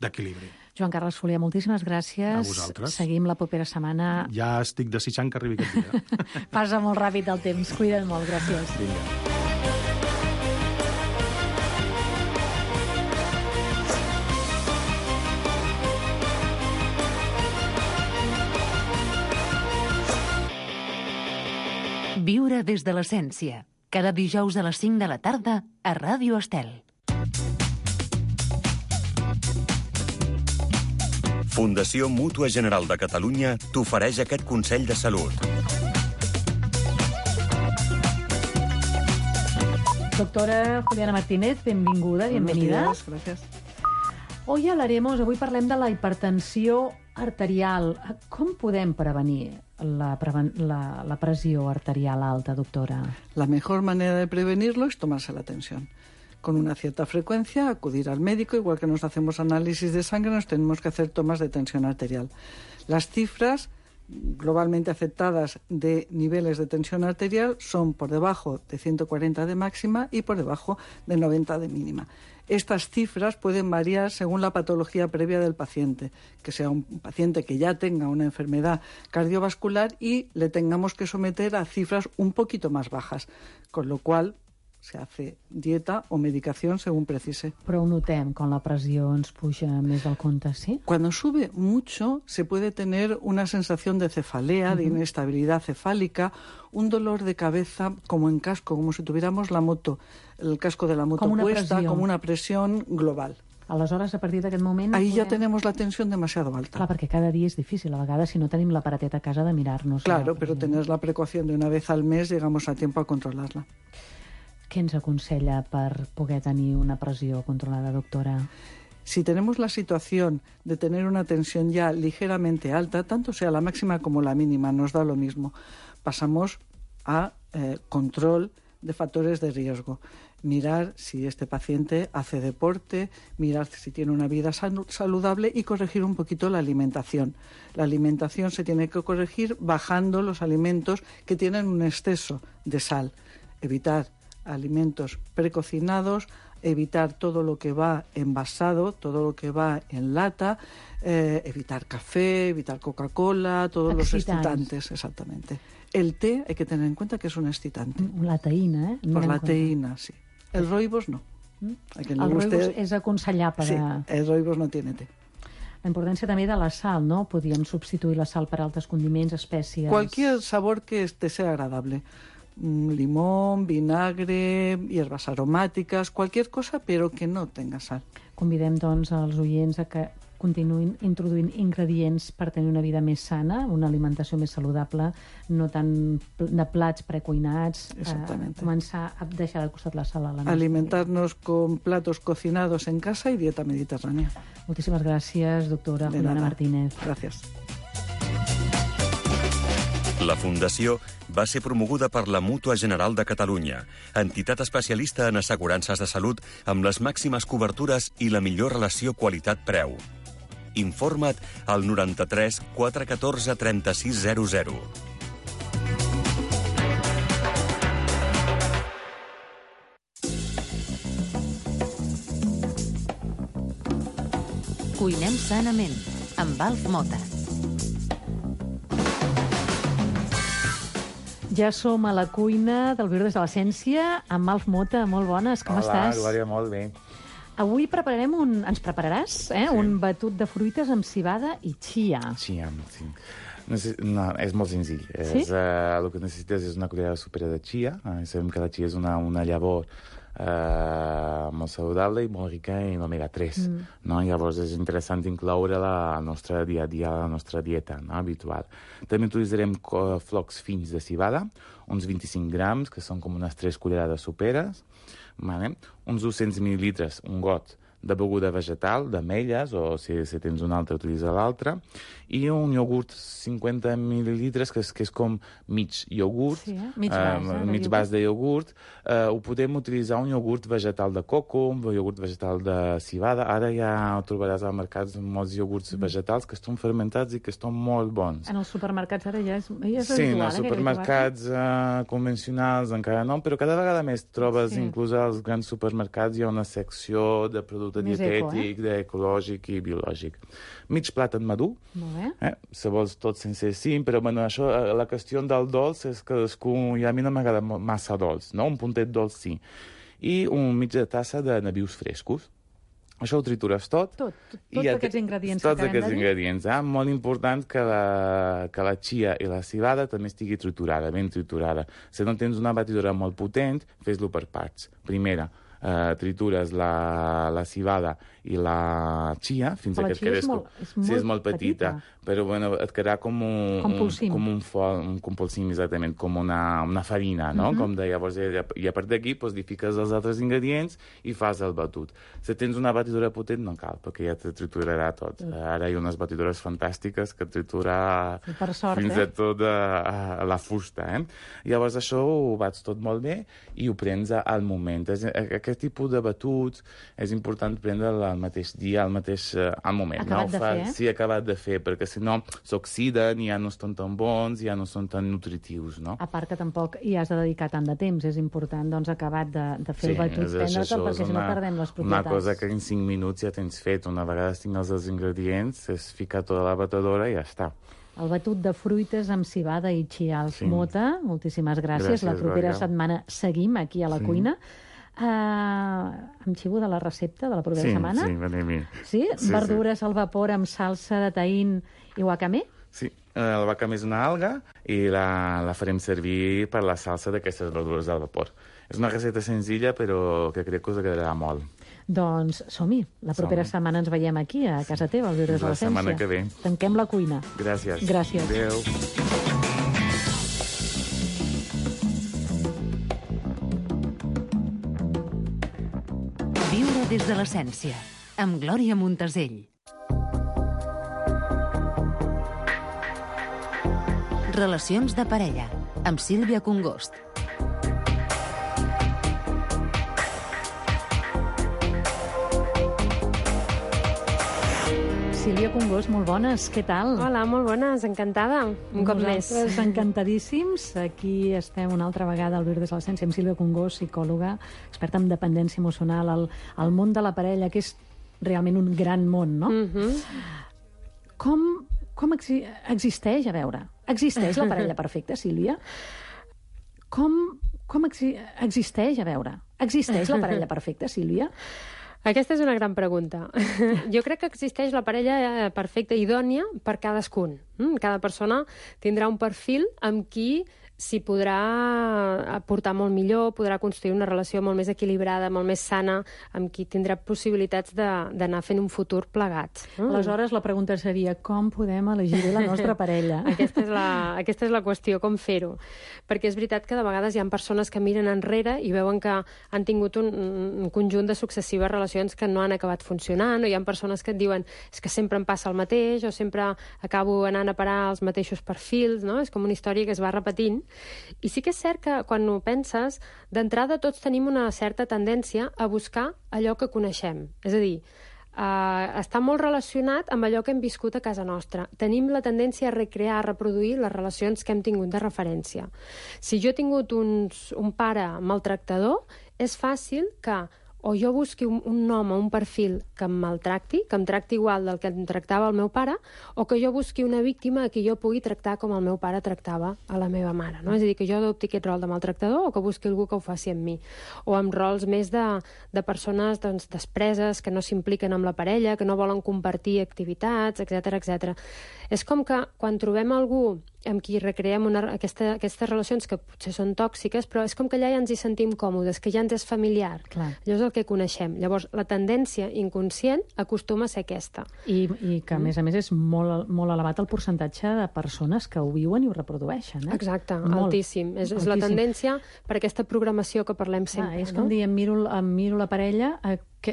Joan Carles Folia, moltíssimes gràcies. A vosaltres. Seguim la propera setmana. Ja estic desitjant que arribi aquest dia. Passa molt ràpid el temps. Cuida't molt, gràcies. Vinga. Viure des de l'essència. Cada dijous a les 5 de la tarda a Ràdio Estel. Fundació Mútua General de Catalunya t'ofereix aquest consell de salut. Doctora Juliana Martínez, benvinguda, bienvenida. Buenos días, gracias. Hoy hablaremos, avui parlem de la hipertensió arterial. Com podem prevenir la pressió arterial alta, doctora? La mejor manera de prevenirlo es tomarse la tensión. Con una cierta frecuencia, acudir al médico, igual que nos hacemos análisis de sangre, nos tenemos que hacer tomas de tensión arterial. Las cifras globalmente aceptadas de niveles de tensión arterial son por debajo de 140 de máxima y por debajo de 90 de mínima. Estas cifras pueden variar según la patología previa del paciente, que sea un paciente que ya tenga una enfermedad cardiovascular y le tengamos que someter a cifras un poquito más bajas, con lo cual se hace dieta o medicación según precise. Però ho notem, quan la pressió ens puja més del compte, ¿sí? Cuando sube mucho se puede tener una sensación de cefalea, de inestabilidad cefálica, un dolor de cabeza como en casco, como si tuviéramos el casco de la moto puesta, como una presión global. Aleshores, a partir d'aquest moment... Ahí ja tenemos la tensión demasiado alta. Clar, perquè cada dia és difícil, a vegades, si no tenim l'aparateta a casa de mirar-nos. Claro, pero tener la precaución de una vez al mes, llegamos a tiempo a controlarla. Què ens aconsella per poder tenir una pressió controlada, doctora? Si tenemos la situación de tener una tensión ya ligeramente alta, tanto sea la máxima como la mínima, nos da lo mismo. Pasamos a control de factores de riesgo. Mirar si este paciente hace deporte, mirar si tiene una vida saludable y corregir un poquito la alimentación. La alimentación se tiene que corregir bajando los alimentos que tienen un exceso de sal. Evitar alimentos precocinados, evitar todo lo que va envasado, todo lo que va en lata, evitar café, evitar Coca-Cola, todos los excitantes, exactamente. El té hay que tener en cuenta que es un excitante. La teïna, eh? Por la teïna, sí. El rooibos no. El rooibos és aconsellable. Sí, el rooibos no tiene té. La importància també de la sal, ¿no? Podríem substituir la sal per altres condiments, espècies... Cualquier sabor que te sea agradable. Limón, vinagre, hierbas aromáticas, cualquier cosa, pero que no tenga sal. Convidem, doncs, als oients a que continuïn introduint ingredients per tenir una vida més sana, una alimentació més saludable, no tant de plats precuinats, començar a deixar de costat la sal a la nostra alimentarnos con platos cocinados en casa y dieta mediterránea. Moltíssimes gràcies, doctora Juliana Martínez. Gràcies. La Fundació va ser promoguda per la Mútua General de Catalunya, entitat especialista en assegurances de salut amb les màximes cobertures i la millor relació qualitat-preu. Informa't al 93 414 3600. Cuinem sanament, amb Alf Mota. Ja som a la cuina del Viure des de l'Essència amb Alf Mota. Molt bones, com estàs? Hola, Glòria, molt bé. Avui ens prepararàs un batut de fruites amb civada i chia. Chia, sí. No, és molt senzill. Sí? El que necessites és una cullera sopera de chia. Sabem que la chia és una llavor molt saludable i molt rica en omega-3. No? Llavors és interessant incloure-la al nostre dia a dia, a la nostra dieta, no? Habitual. També utilitzarem flocs fins de civada, uns 25 grams, que són com unes 3 cullerades soperes, vale? Uns 200 mil·lilitres, un got de beguda vegetal, d'ametlles, o si tens una altra, utilitza l'altra, i un iogurt 50 mil·lilitres, que és com mig iogurt, mig vas de iogurt. Ho podem utilitzar un iogurt vegetal de coco, un iogurt vegetal de civada. Ara ja trobaràs al mercat molts iogurts vegetals que estan fermentats i que estan molt bons. En els supermercats ara ja és habitual. Sí, en els supermercats convencionals encara no, però cada vegada més trobes, inclús als grans supermercats, hi ha una secció de producte dietètic, ecològic i biològic. Mig plàtan madur, si vols tot sense cim, però bueno, això, la qüestió del dolç és que a mi no m'agrada massa dolç, no? Un puntet dolç sí. I mitja tassa de nabius frescos. Això ho tritures tot. Tots aquests ingredients que acabem de dir. Ingredients. Molt important que la chia i la civada també estigui triturada, ben triturada. Si no tens una batidora molt potent, fes-lo per parts. Primera, tritures la civada i la chia fins que et quedés... Sí, és molt petita, però bueno, et quedarà com un compulsim, exactament, com una farina, no? Llavors, i a part d'aquí, hi fiques els altres ingredients i fas el batut. Si tens una batidora potent, no cal, perquè ja te triturarà tot. Ara hi ha unes batidores fantàstiques que tritura fins a tot la fusta. Llavors, això ho bats tot molt bé i ho prens al moment. Aquest tipus de batuts és important prendre-la al mateix dia, al moment. Acabat de fer, Sí, acabat de fer, perquè si no s'oxiden i ja no estan tan bons, ja no són tan nutritius, no? A part que tampoc hi has de dedicar tant de temps, és important, doncs, acabat de fer el batut, prendre-te'l, perquè si no perdem les propietats. Una cosa que en 5 minuts ja tens fet, una vegada tingues els ingredients, és ficar tota la batedora i ja està. El batut de fruites amb civada i chials. Mota, moltíssimes gràcies. La propera setmana seguim aquí a la cuina. Em xivo de la recepta de la propera setmana? Sí, venim. Sí? Verdures al vapor amb salsa de taín i wakame? Sí, el wakame és una alga i la farem servir per la salsa d'aquestes verdures al vapor. És una recepta senzilla, però que crec que us agradarà molt. Doncs som-hi. La propera setmana ens veiem aquí, a casa teva, al Viure de l'Essència. La setmana que ve. Tanquem la cuina. Gràcies. Adéu. Viure des de l'essència, amb Glòria Montesell. Relacions de parella, amb Sílvia Congost. Sílvia Congost, molt bones, què tal? Hola, molt bones, encantada, un cop més. Nosaltres encantadíssims. Aquí estem una altra vegada al Viure des de l'Essència amb Sílvia Congost, psicòloga, experta en dependència emocional, al món de la parella, que és realment un gran món, no? Com existeix, a veure, existeix la parella perfecta, Sílvia? Com existeix, a veure, existeix la parella perfecta, Sílvia? Aquesta és una gran pregunta. Jo crec que existeix la parella perfecta, idònia, per cadascun. Cada persona tindrà un perfil amb qui s'hi podrà aportar molt millor, podrà construir una relació molt més equilibrada, molt més sana, amb qui tindrà possibilitats d'anar fent un futur plegats. Aleshores, la pregunta seria com podem elegir la nostra parella? Aquesta és la qüestió, com fer-ho. Perquè és veritat que de vegades hi ha persones que miren enrere i veuen que han tingut un conjunt de successives relacions que no han acabat funcionant, o hi ha persones que et diuen és que sempre em passa el mateix, o sempre acabo anant a parar als mateixos perfils, no? És com una història que es va repetint. I sí que és cert que quan ho penses, d'entrada tots tenim una certa tendència a buscar allò que coneixem. És a dir, està molt relacionat amb allò que hem viscut a casa nostra. Tenim la tendència a recrear, a reproduir les relacions que hem tingut de referència. Si jo he tingut un pare maltractador, és fàcil que o jo busqui un home, un perfil que em maltracti, que em tracti igual del que em tractava el meu pare, o que jo busqui una víctima a qui jo pugui tractar com el meu pare tractava a la meva mare. No? És a dir, que jo adopti aquest rol de maltractador o que busqui algú que ho faci amb mi. O amb rols més de persones despreses, que no s'impliquen amb la parella, que no volen compartir activitats, etc. És com que quan trobem algú amb qui recreem aquestes relacions que potser són tòxiques, però és com que allà ja ens hi sentim còmodes, que ja ens és familiar. Clar. Allò és el que coneixem. Llavors, la tendència inconscient acostuma a ser aquesta. I que, a més, és molt, molt elevat el percentatge de persones que ho viuen i ho reprodueixen. Exacte, altíssim. És la tendència per aquesta programació que parlem sempre. És com dir, em miro la parella,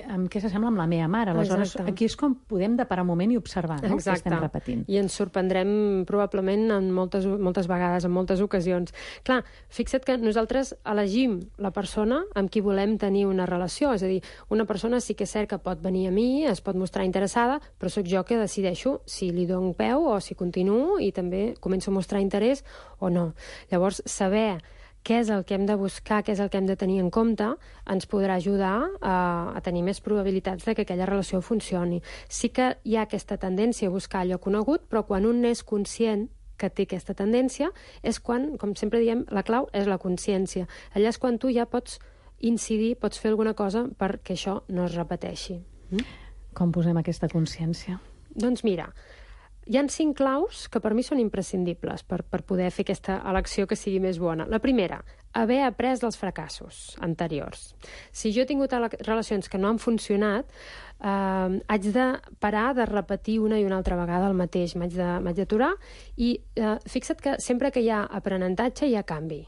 amb què s'assembla amb la meva mare. Aleshores, aquí és com podem de parar un moment i observar, no? Què estem repetint. I ens sorprendrem probablement en moltes vegades, en moltes ocasions. Clar, fixa't que nosaltres elegim la persona amb qui volem tenir una relació. És a dir, una persona sí que és cert que pot venir a mi, es pot mostrar interessada, però sóc jo que decideixo si li dono peu o si continuo i també començo a mostrar interès o no. Llavors, saber què és el que hem de buscar, què és el que hem de tenir en compte, ens podrà ajudar a tenir més probabilitats de que aquella relació funcioni. Sí que hi ha aquesta tendència a buscar allò conegut, però quan un és conscient que té aquesta tendència, és quan, com sempre diem, la clau és la consciència. Allà és quan tu ja pots incidir, pots fer alguna cosa perquè això no es repeteixi. Com posem aquesta consciència? Doncs mira, hi ha 5 claus que per mi són imprescindibles per poder fer aquesta elecció que sigui més bona. La primera, haver après dels fracassos anteriors. Si jo he tingut relacions que no han funcionat, haig de parar de repetir una i una altra vegada el mateix. M'haig d'aturar i fixa't que sempre que hi ha aprenentatge hi ha canvi.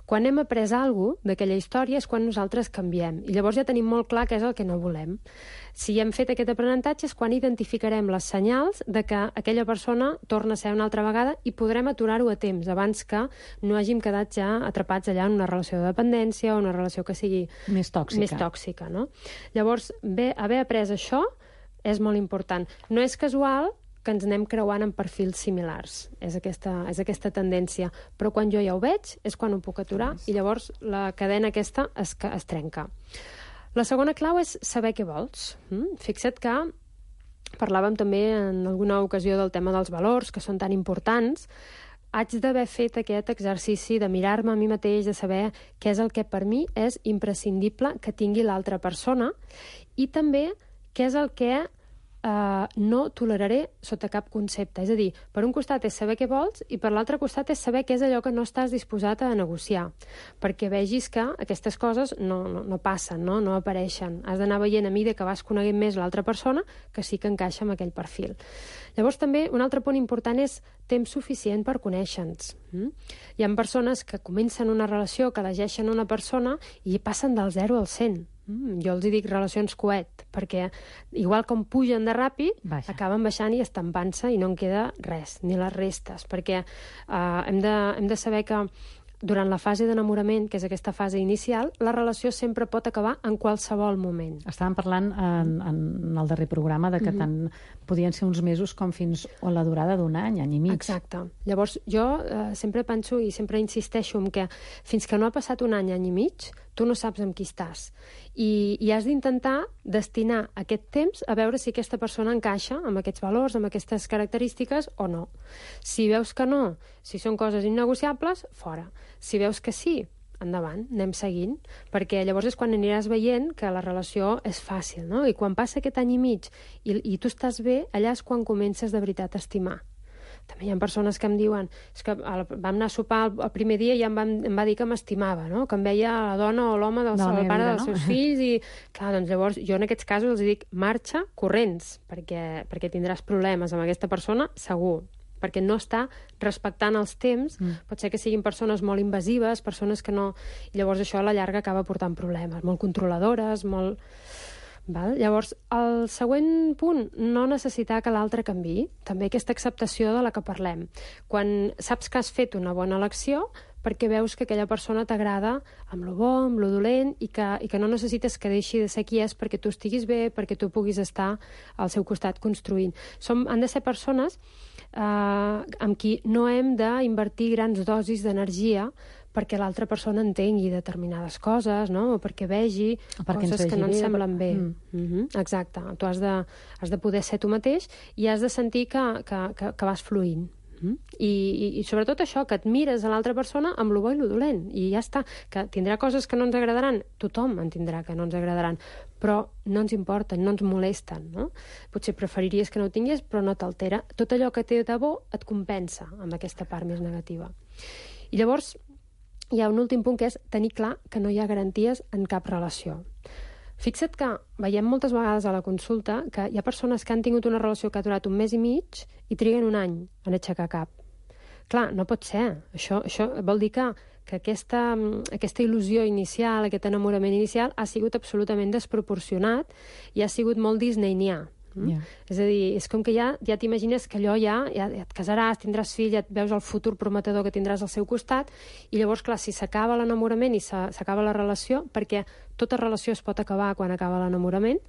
Quan hem après alguna cosa d'aquella història és quan nosaltres canviem. I llavors ja tenim molt clar què és el que no volem. Si hem fet aquest aprenentatge és quan identificarem les senyals de que aquella persona torna a ser una altra vegada i podrem aturar-ho a temps, abans que no hàgim quedat ja atrapats allà en una relació de dependència o una relació que sigui més tòxica, no? Llavors, haver après això és molt important. No és casual que ens anem creuant en perfils similars. És aquesta tendència. Però quan jo ja ho veig, és quan ho puc aturar i llavors la cadena aquesta es trenca. La segona clau és saber què vols. Fixa't que parlàvem també en alguna ocasió del tema dels valors, que són tan importants. Haig d'haver fet aquest exercici de mirar-me a mi mateix, de saber què és el que per mi és imprescindible que tingui l'altra persona i també què és el que no toleraré sota cap concepte. És a dir, per un costat és saber què vols i per l'altre costat és saber què és allò que no estàs disposat a negociar, perquè vegis que aquestes coses no passen, no apareixen. Has d'anar veient a mesura que vas coneguent més l'altra persona que sí que encaixa amb aquell perfil. Llavors també un altre punt important és temps suficient per conèixer-nos. Hi ha persones que comencen una relació, que elegeixen una persona i passen del 0 al 100. Jo els dic relacions coet, perquè igual com pugen de ràpid, acaben baixant i estampant-se i no en queda res, ni les restes, perquè hem de saber que durant la fase d'enamorament, que és aquesta fase inicial, la relació sempre pot acabar en qualsevol moment. Estàvem parlant en el darrer programa de que tant podien ser uns mesos com fins a la durada d'un any i mig. Exacte. Llavors, jo sempre penso i sempre insisteixo en que fins que no ha passat un any i mig, tu no saps amb qui estàs. I has d'intentar destinar aquest temps a veure si aquesta persona encaixa amb aquests valors, amb aquestes característiques o no. Si veus que no, si són coses innegociables, fora. Si veus que sí, endavant, anem seguint, perquè llavors és quan aniràs veient que la relació és fàcil, no? I quan passa aquest any i mig i tu estàs bé, allà és quan comences de veritat a estimar. També hi ha persones que em diuen és que vam anar a sopar el primer dia i em va dir que m'estimava, no? Que em veia la dona o l'home del pare dels seus fills i, clar, doncs llavors jo en aquests casos els dic marxa corrents, perquè tindràs problemes amb aquesta persona, segur, perquè no està respectant els temps, pot ser que siguin persones molt invasives, persones que no... I llavors això a la llarga acaba portant problemes, molt controladores, molt... Val? Llavors, el següent punt, no necessitar que l'altre canviï, també aquesta acceptació de la que parlem. Quan saps que has fet una bona elecció, perquè veus que aquella persona t'agrada amb lo bo, amb lo dolent, i que no necessites que deixi de ser qui és perquè tu estiguis bé, perquè tu puguis estar al seu costat construint. Han de ser persones amb qui no hem d'invertir grans dosis d'energia perquè l'altra persona entengui determinades coses, no? O perquè vegi coses que no ens semblen bé. Exacte. Tu has de poder ser tu mateix i has de sentir que vas fluint. I sobretot això, que et mires a l'altra persona amb lo bo i lo dolent, i ja està. Que tindrà coses que no ens agradaran, tothom en tindrà que no ens agradaran, però no ens importen, no ens molesten, no? Potser preferiries que no ho tingués, però no t'altera. Tot allò que té de bo et compensa amb aquesta part més negativa. I llavors hi ha un últim punt, que és tenir clar que no hi ha garanties en cap relació. Fixa't que veiem moltes vegades a la consulta que hi ha persones que han tingut una relació que ha durat un mes i mig i triguen un any en aixecar cap. Clar, no pot ser. Això vol dir que que aquesta il·lusió inicial, aquest enamorament inicial, ha sigut absolutament desproporcionat i ha sigut molt disneynià. Yeah. És a dir, és com que ja t'imagines que allò ja et casaràs, tindràs fill, ja et veus el futur prometedor que tindràs al seu costat, i llavors, clar, si s'acaba l'enamorament i s'acaba la relació, perquè tota relació es pot acabar quan acaba l'enamorament,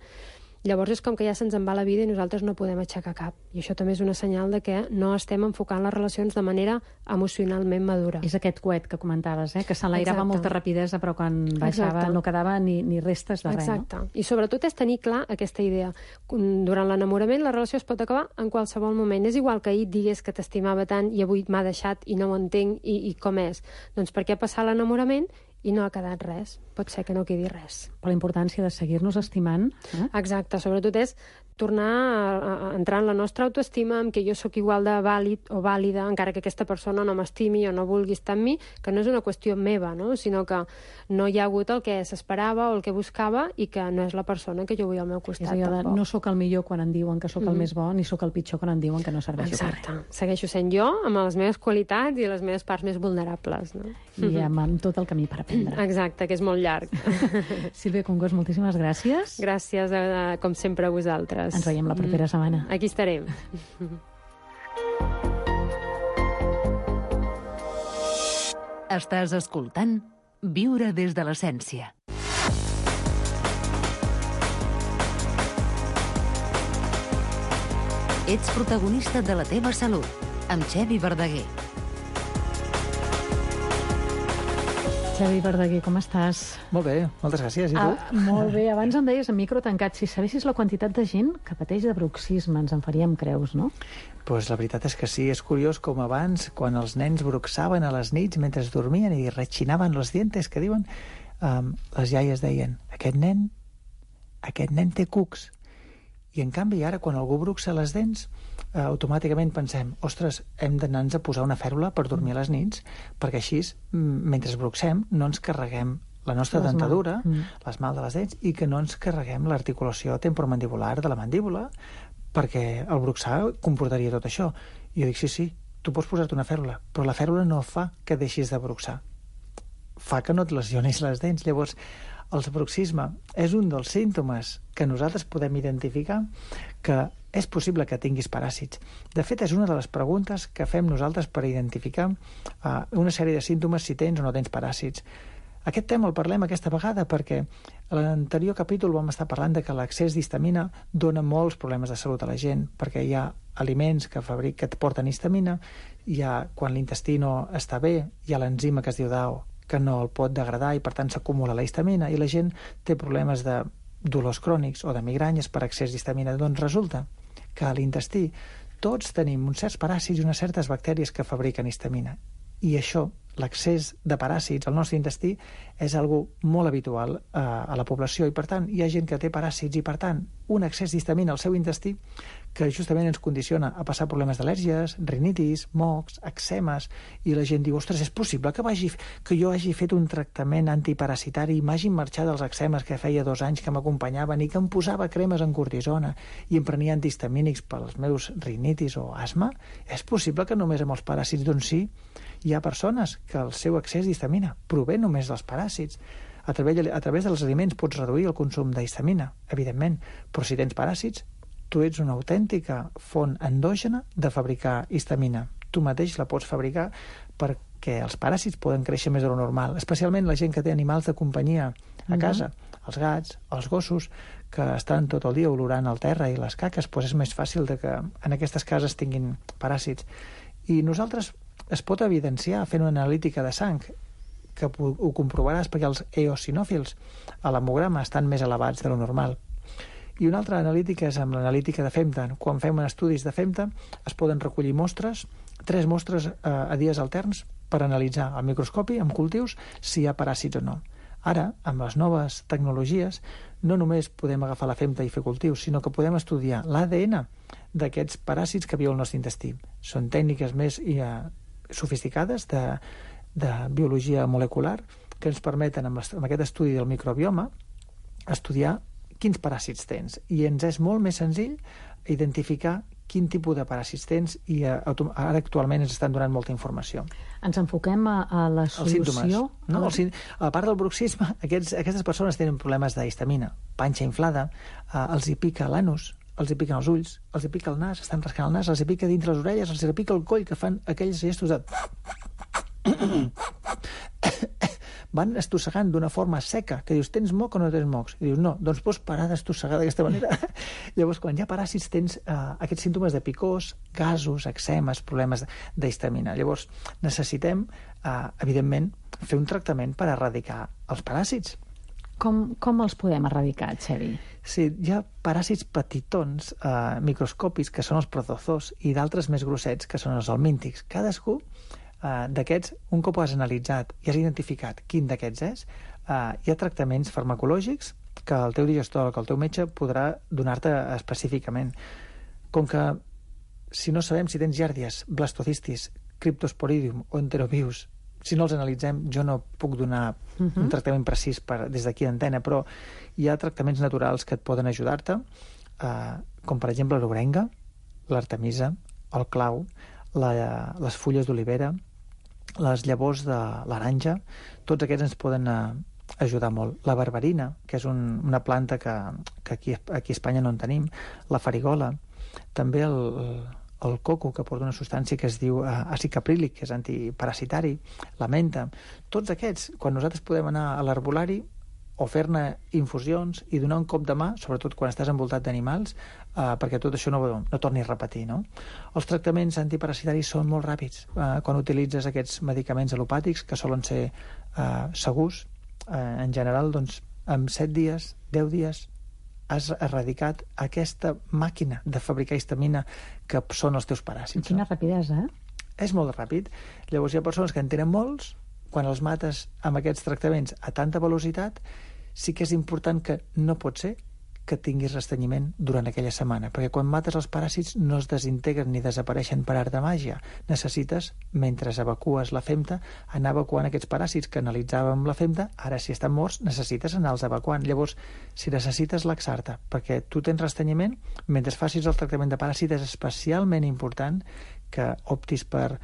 llavors és com que ja se'ns en va la vida i nosaltres no podem aixecar cap. I això també és una senyal de que no estem enfocant les relacions de manera emocionalment madura. És aquest coet que comentaves, que s'enlairava amb molta rapidesa, però quan baixava no quedava ni restes de res. Exacte. I sobretot és tenir clar aquesta idea. Durant l'enamorament la relació es pot acabar en qualsevol moment. És igual que ahir digués que t'estimava tant i avui m'ha deixat i no ho entenc i com és. Doncs per què passar l'enamorament i no ha quedat res? Pot ser que no quedi res. Per la importància de seguir-nos estimant. Exacte, sobretot és tornar a entrar en la nostra autoestima, en què jo sóc igual de vàlid o vàlida, encara que aquesta persona no m'estimi o no vulgui estar amb mi, que no és una qüestió meva, no? Sinó que no hi ha hagut el que s'esperava o el que buscava i que no és la persona que jo vull al meu costat. És allò de no sóc el millor quan em diuen que sóc el més bo, ni sóc el pitjor quan em diuen que no serveixo per res. Exacte. Segueixo sent jo amb les meves qualitats i les meves parts més vulnerables, no? I amb tot el camí per aprendre. Exacte, que és molt llarg. Sílvia Congost, moltíssimes gràcies. Gràcies, com sempre, a vosaltres. Ens veiem la propera setmana. Aquí estarem. Estàs escoltant Viure des de l'essència. Ets protagonista de la teva salut, amb Xevi Verdaguer. Xavi Verdaguer, com estàs? Molt bé, moltes gràcies. I tu? Molt bé. Abans em deies en micro tancat, si sabessis la quantitat de gent que pateix de bruxisme, ens en faríem creus, no? Pues la veritat és que sí, és curiós com abans, quan els nens bruxaven a les nits mentre dormien i rechinaven los dientes, que diuen, les iaies deien, aquest nen té cucs. I en canvi ara, quan algú bruxa les dents, automàticament pensem, ostres, hem d'anar-nos a posar una fèrula per dormir a les nits, perquè així, mentre bruxem, no ens carreguem la nostra dentadura, l'esmalt de les dents, i que no ens carreguem l'articulació temporomandibular de la mandíbula, perquè el bruxar comportaria tot això. I jo dic, sí, tu pots posar-te una fèrula, però la fèrula no fa que deixis de bruxar. Fa que no et lesionis les dents. Llavors, el bruxisme és un dels símptomes que nosaltres podem identificar que és possible que tinguis paràsits. De fet, és una de les preguntes que fem nosaltres per identificar una sèrie de símptomes si tens o no tens paràsits. Aquest tema el parlem aquesta vegada perquè a l'anterior capítol vam estar parlant de que l'excés d'histamina dona molts problemes de salut a la gent, perquè hi ha aliments que et porten histamina, quan l'intestí no està bé, hi ha l'enzima que es diu DAO, que no el pot degradar i per tant s'acumula la histamina i la gent té problemes de dolors crònics o de migranyes per excés d'histamina. Doncs resulta que a l'intestí tots tenim uns certs paràsits i unes certes bactèries que fabriquen histamina. I això, l'excés de paràsits al nostre intestí, és algo molt habitual a la població i, per tant, hi ha gent que té paràsits i, per tant, un excés d'histamina al seu intestí que justament ens condiciona a passar problemes d'al·lèrgies, rinitis, mocs, eczemes, i la gent diu, ostres, és possible que jo hagi fet un tractament antiparasitari i m'hagin marxat dels eczemes que feia 2 anys que m'acompanyaven i que em posava cremes en cortisona i em prenia antihistamínics pels meus rinitis o asma? És possible que només amb els paràsits? Doncs sí, hi ha persones que el seu excés d'histamina prové només dels paràsits. A través dels aliments pots reduir el consum d'histamina, evidentment, però si tens paràsits, tu ets una autèntica font endògena de fabricar histamina. Tu mateix la pots fabricar perquè els paràsits poden créixer més de lo normal, especialment la gent que té animals de companyia a casa, els gats, els gossos, que estan tot el dia olorant el terra i les caques, doncs és més fàcil que en aquestes cases tinguin paràsits. I nosaltres es pot evidenciar fent una analítica de sang, que ho comprovaràs perquè els eosinòfils a l'hemograma estan més elevats de lo normal. I una altra analítica és amb l'analítica de FEMTA. Quan fem estudis de FEMTA es poden recollir mostres, 3 mostres a dies alterns per analitzar al microscopi, amb cultius, si hi ha paràsits o no. Ara, amb les noves tecnologies, no només podem agafar la FEMTA i fer cultius, sinó que podem estudiar l'ADN d'aquests paràsits que viuen al nostre intestí. Són tècniques més sofisticades de biologia molecular que ens permeten, amb aquest estudi del microbioma, estudiar quins paràsits tens. I ens és molt més senzill identificar quin tipus de paràsits tens, i ara actualment ens estan donant molta informació. Ens enfoquem a la solució? No? A part del bruxisme, aquestes persones tenen problemes d'histamina, panxa inflada, els hi pica l'anus, els hi piquen els ulls, els hi pica el nas, estan rascant el nas, els hi pica dintre les orelles, els hi pica el coll, que fan aquells gestos de... van estossegant d'una forma seca, que dius, tens moc o no tens mocs? I dius, no, doncs pots parar d'estossegar d'aquesta manera. Llavors, quan hi ha paràsits, tens aquests símptomes de picors, gasos, eczemes, problemes d'histamina. Llavors, necessitem, evidentment, fer un tractament per erradicar els paràsits. Com els podem erradicar, Xevi? Sí, hi ha paràsits petitons, microscòpics, que són els protozoos, i d'altres més grossets, que són els helmíntics. Cadascú d'aquests, un cop ho has analitzat i has identificat quin d'aquests és, hi ha tractaments farmacològics que el teu digestor, que el teu metge podrà donar-te específicament. Com que si no sabem si tens giàrdies, blastocistis, cryptosporidium o enterovirus, si no els analitzem, jo no puc donar un tractament precís des d'aquí d'antena, però hi ha tractaments naturals que et poden ajudar-te, com per exemple l'orenga, l'artemisa, el clau, les fulles d'olivera, les llavors de l'aranja, tots aquests ens poden ajudar molt. La berberina, que és una planta que aquí a Espanya no en tenim, la farigola, també el coco, que porta una substància que es diu àcid caprílic, que és antiparasitari, la menta. Tots aquests, quan nosaltres podem anar a l'herbolari o fer-ne infusions i donar un cop de mà, sobretot quan estàs envoltat d'animals, perquè tot això no torni a repetir, no? Els tractaments antiparasitaris són molt ràpids. Quan utilitzes aquests medicaments al·lopàtics, que solen ser segurs, en general, doncs, en 7 dies, 10 dies, has erradicat aquesta màquina de fabricar histamina que són els teus paràsits. Quina rapidesa, És molt ràpid. Llavors hi ha persones que en tenen molts, quan els mates amb aquests tractaments a tanta velocitat, sí que és important que no pot ser que tinguis restrenyiment durant aquella setmana, perquè quan mates els paràsits no es desintegren ni desapareixen per art de màgia. Necessites, mentre evacues la femta, anar evacuant aquests paràsits que analitzàvem la femta, ara si estan morts necessites anar-los evacuant. Llavors, si necessites laxar-te perquè tu tens restrenyiment, mentre facis el tractament de paràsit és especialment important que optis per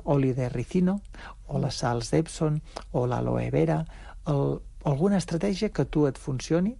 oli de ricino, o les sals d'Epsom, o l'aloe vera, alguna estratègia que tu et funcioni,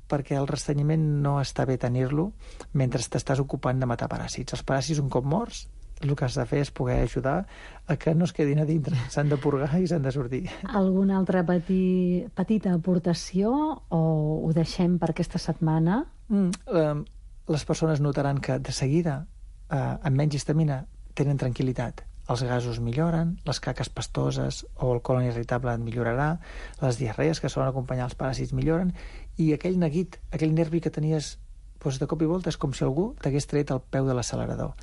perquè el restrenyiment no està bé tenir-lo mentre t'estàs ocupant de matar paràsits. Els paràsits, un cop morts, el que has de fer és poder ajudar a que no es quedin a dintre. S'han de purgar i s'han de sortir. Alguna altra petita aportació o ho deixem per aquesta setmana? Les persones notaran que de seguida, amb menys histamina, tenen tranquil·litat. Els gasos milloren, les caques pastoses o el colon irritable et millorarà, les diarrees que solen acompanyar els paràsits milloren, i aquell neguit, aquell nervi que tenies de cop i volta és com si algú t'hagués tret el peu de l'accelerador.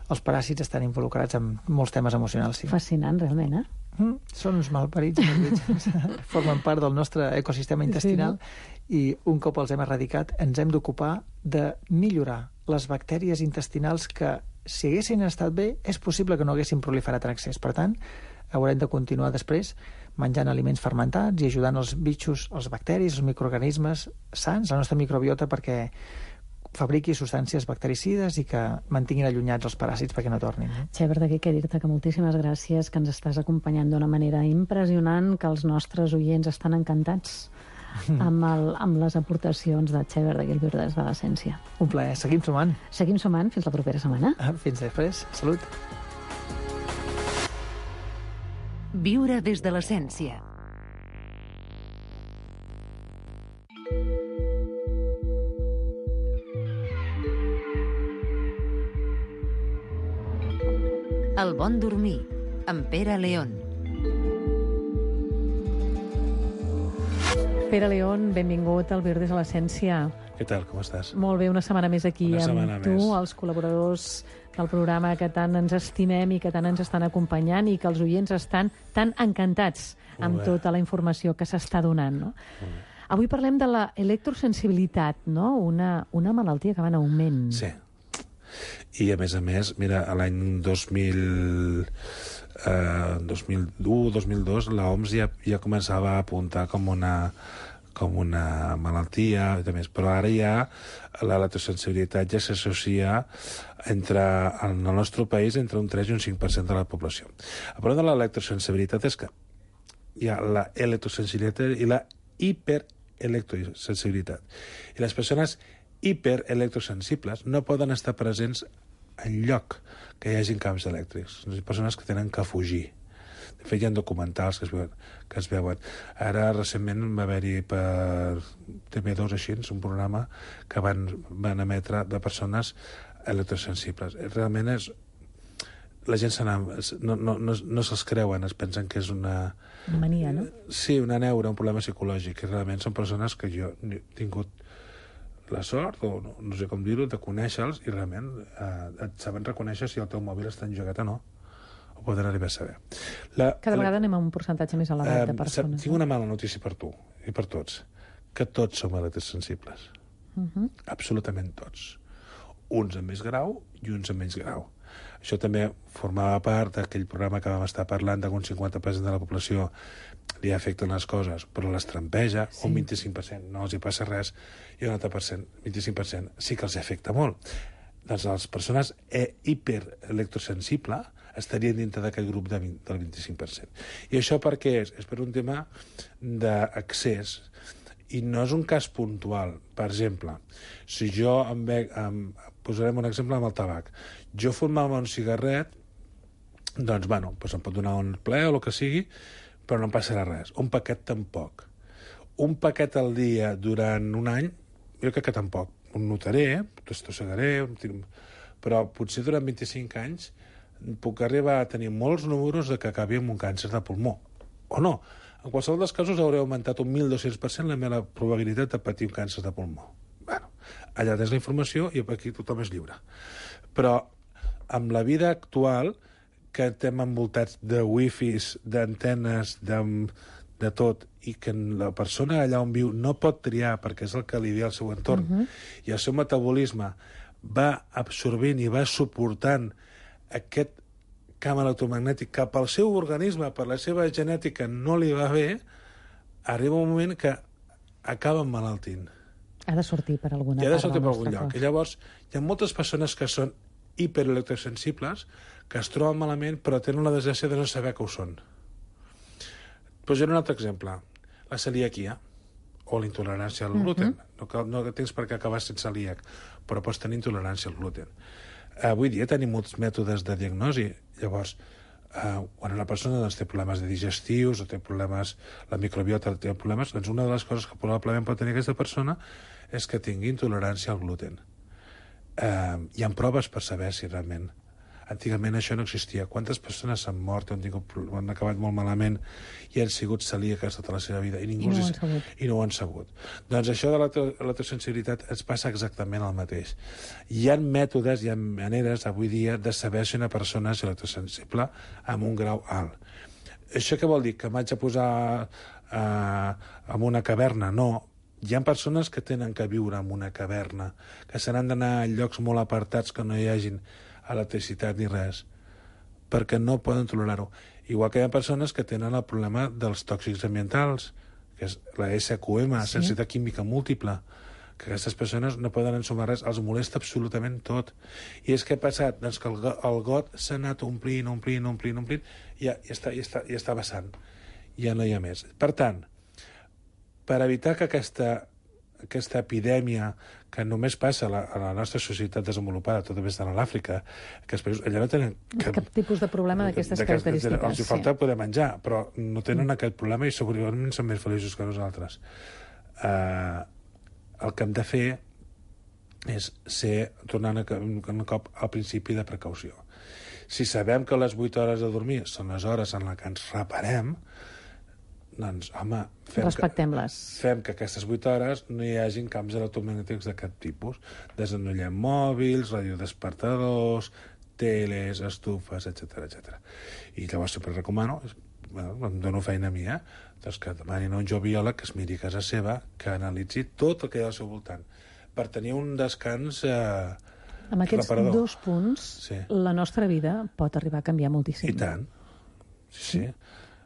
Els paràsits estan involucrats en molts temes emocionals. Sí. Fascinant, realment, Són uns malparits, formen part del nostre ecosistema intestinal, i un cop els hem erradicat ens hem d'ocupar de millorar les bactèries intestinals que, si haguessin estat bé, és possible que no haguessin proliferat en excés. Per tant, haurem de continuar després menjant aliments fermentats i ajudant els bitxos, els bacteris, els microorganismes sans, la nostra microbiota, perquè fabriqui substàncies bactericides i que mantinguin allunyats els paràsits perquè no tornin. Xever, d'aquí què dir-te que moltíssimes gràcies, que ens estàs acompanyant d'una manera impressionant, que els nostres oients estan encantats amb les aportacions de Xever de Guilbert de l'Essència. Un plaer. Seguim sumant. Seguim sumant. Fins la propera setmana. Fins després. Salut. Viure des de l'essència. El bon dormir, amb Pere León. Pere León, benvingut al Viure des de l'Essència. Què tal, com estàs? Molt bé, una setmana més aquí amb tu, més. Els col·laboradors del programa que tant ens estimem i que tant ens estan acompanyant i que els oients estan tan encantats amb tota la informació que s'està donant, no? Avui parlem de la electrosensibilitat, no? Una malaltia que va en augment. Sí. I, a més, mira, a l'any 2001, 2002, l'OMS ja començava a apuntar com com una malaltia i més. Però ara ja l'electrosensibilitat ja s'associa en el nostre país entre un 3 i un 5% de la població. El problema de l'electrosensibilitat és que hi ha la electrosensibilitat i la hiperelectrosensibilitat. I les persones hiperelectrosensibles no poden estar presents en lloc que hi hagi camps elèctrics. Són persones que tenen que fugir. De fet, hi ha documentals que es veuen. Ara, recentment, va haver-hi per TV2 així, un programa que van emetre de persones electrosensibles. Realment és... La gent no se'ls creuen, es pensen que és una... Una mania, no? Sí, una neura, un problema psicològic. I realment són persones que jo he tingut la sort, o no sé com dir-ho, de conèixer-los i realment et saben reconèixer si el teu mòbil està engegat o no. Ho poden arribar a saber. Cada vegada anem a un percentatge més elevat de persones. Tinc una mala notícia per tu i per tots, que tots som electrosensibles. Absolutament tots. Uns amb més grau i uns amb menys grau. Això també formava part d'aquell programa que vam estar parlant de que un 50% de la població li afecten les coses, però les trampeja, un 25% no els hi passa res, i un altre 25% sí que els afecta molt. Doncs les persones hiperelectrosensibles estarien dintre d'aquest grup del 25%. I això per què és? És per un tema d'accés, i no és un cas puntual. Per exemple, si jo posarem un exemple amb el tabac. Jo fumava un cigarret, doncs, bueno, em pot donar un ple o el que sigui, però no em passarà res. Un paquet tampoc. Un paquet al dia durant un any, jo crec que tampoc. Ho notaré, t'estossegaré, però potser durant 25 anys puc arribar a tenir molts números de que acabi amb un càncer de pulmó. O no. En qualsevol dels casos hauré augmentat un 1.200% la meva probabilitat de patir un càncer de pulmó. Bueno, allà tens la informació i aquí tothom és lliure. Però amb la vida actual, que estem envoltats de wifis, d'antenes, de tot, i que la persona allà on viu no pot triar perquè és el que li ve al seu entorn, i el seu metabolisme va absorbint i va suportant aquest camp electromagnètic cap al seu organisme, per la seva genètica no li va bé, arriba un moment que acaba emmalaltint. Ha de sortir per alguna part. Ha de sortir per algun lloc. I llavors, hi ha moltes persones que són hiperelectrosensibles, que es troben malament, però tenen la desgràcia de no saber que ho són. Posaré un altre exemple. La celiaquia, o la intolerància al gluten. No tens per què acabar sent celíac, però pots tenir intolerància al gluten. Avui dia tenim molts mètodes de diagnosi. Llavors, quan una persona té problemes digestius o té problemes, la microbiota té problemes, doncs una de les coses que probablement pot tenir aquesta persona és que tingui intolerància al gluten. Hi ha proves per saber si realment... Antigament això no existia. Quantes persones s'han mort, han acabat molt malament i han sigut celíaques tota la seva vida i no ho han sabut. Doncs això de l'electrosensibilitat ens passa exactament el mateix. Hi ha mètodes, hi ha maneres avui dia de saber si una persona és electrosensible amb un grau alt. Això què vol dir? Que m'haig de posar en una caverna? No. Hi ha persones que tenen que viure en una caverna, que se n'han d'anar a llocs molt apartats que no hi hagin electricitat ni res, perquè no poden tolerar-ho. Igual que hi ha persones que tenen el problema dels tòxics ambientals, que és la SQM, sensibilitat química múltiple, que aquestes persones no poden ensumar res, els molesta absolutament tot. I és que ha passat? Doncs que el got s'ha anat omplint, i ja està vessant. Ja no hi ha més. Per tant, per evitar que aquesta epidèmia que només passa a la nostra societat desenvolupada, tot més de l'Àfrica, que els països allà no tenen cap tipus de problema d'aquestes característiques. Els falta poder menjar, però no tenen aquest problema i segurament són més feliços que nosaltres. El que hem de fer és tornar un cop al principi de precaució. Si sabem que les 8 hores de dormir són les hores en què ens reparem, doncs, home, respectem-les. Fem que aquestes 8 hores no hi hagin camps electromagnètics de cap tipus. Desenollem mòbils, radiodespertadors, teles, estufes, etc. I llavors sempre recomano, em dono feina a mi, doncs que demanin a un joviòleg que es miri a casa seva, que analitzi tot el que hi ha al seu voltant, per tenir un descans reparador. Amb aquests 2 punts, la nostra vida pot arribar a canviar moltíssim. I tant. Sí.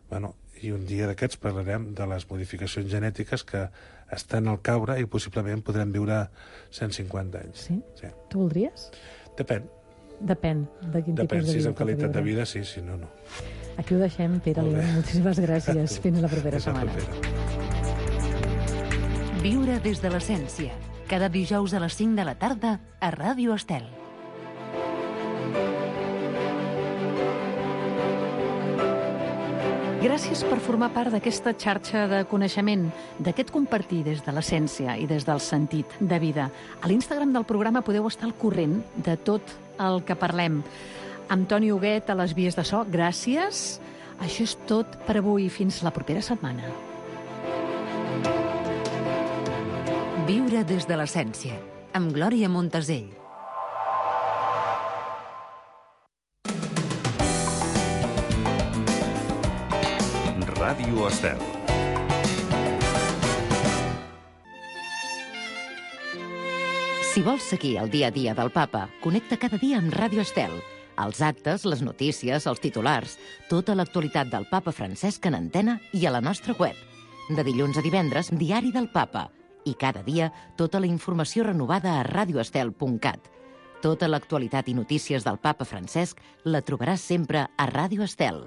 Bueno, i un dia d'aquests parlarem de les modificacions genètiques que estan al caure i possiblement podrem viure 150 anys. Sí? Tu voldries? Depèn. Depèn de quin tipus de vida. Si és amb pot qualitat de viure. vida, sí, si no, no. Aquí ho deixem, Pere León. Moltíssimes gràcies. Fins la propera setmana. Viure des de l'essència. Cada dijous a les 5 de la tarda a Ràdio Estel. Gràcies per formar part d'aquesta xarxa de coneixement, d'aquest compartir des de l'essència i des del sentit de vida. A l'Instagram del programa podeu estar al corrent de tot el que parlem. Amb Toni Huguet a les vies de so, gràcies. Això és tot per avui. Fins la propera setmana. Viure des de l'essència, amb Glòria Montesell. Ràdio Estel. Si vols seguir el dia a dia del Papa, connecta cada dia amb Ràdio Estel. Els actes, les notícies, els titulars, tota l'actualitat del Papa Francesc en antena i a la nostra web. De dilluns a divendres, Diari del Papa. I cada dia, tota la informació renovada a radioestel.cat. Tota l'actualitat i notícies del Papa Francesc la trobaràs sempre a Ràdio Estel.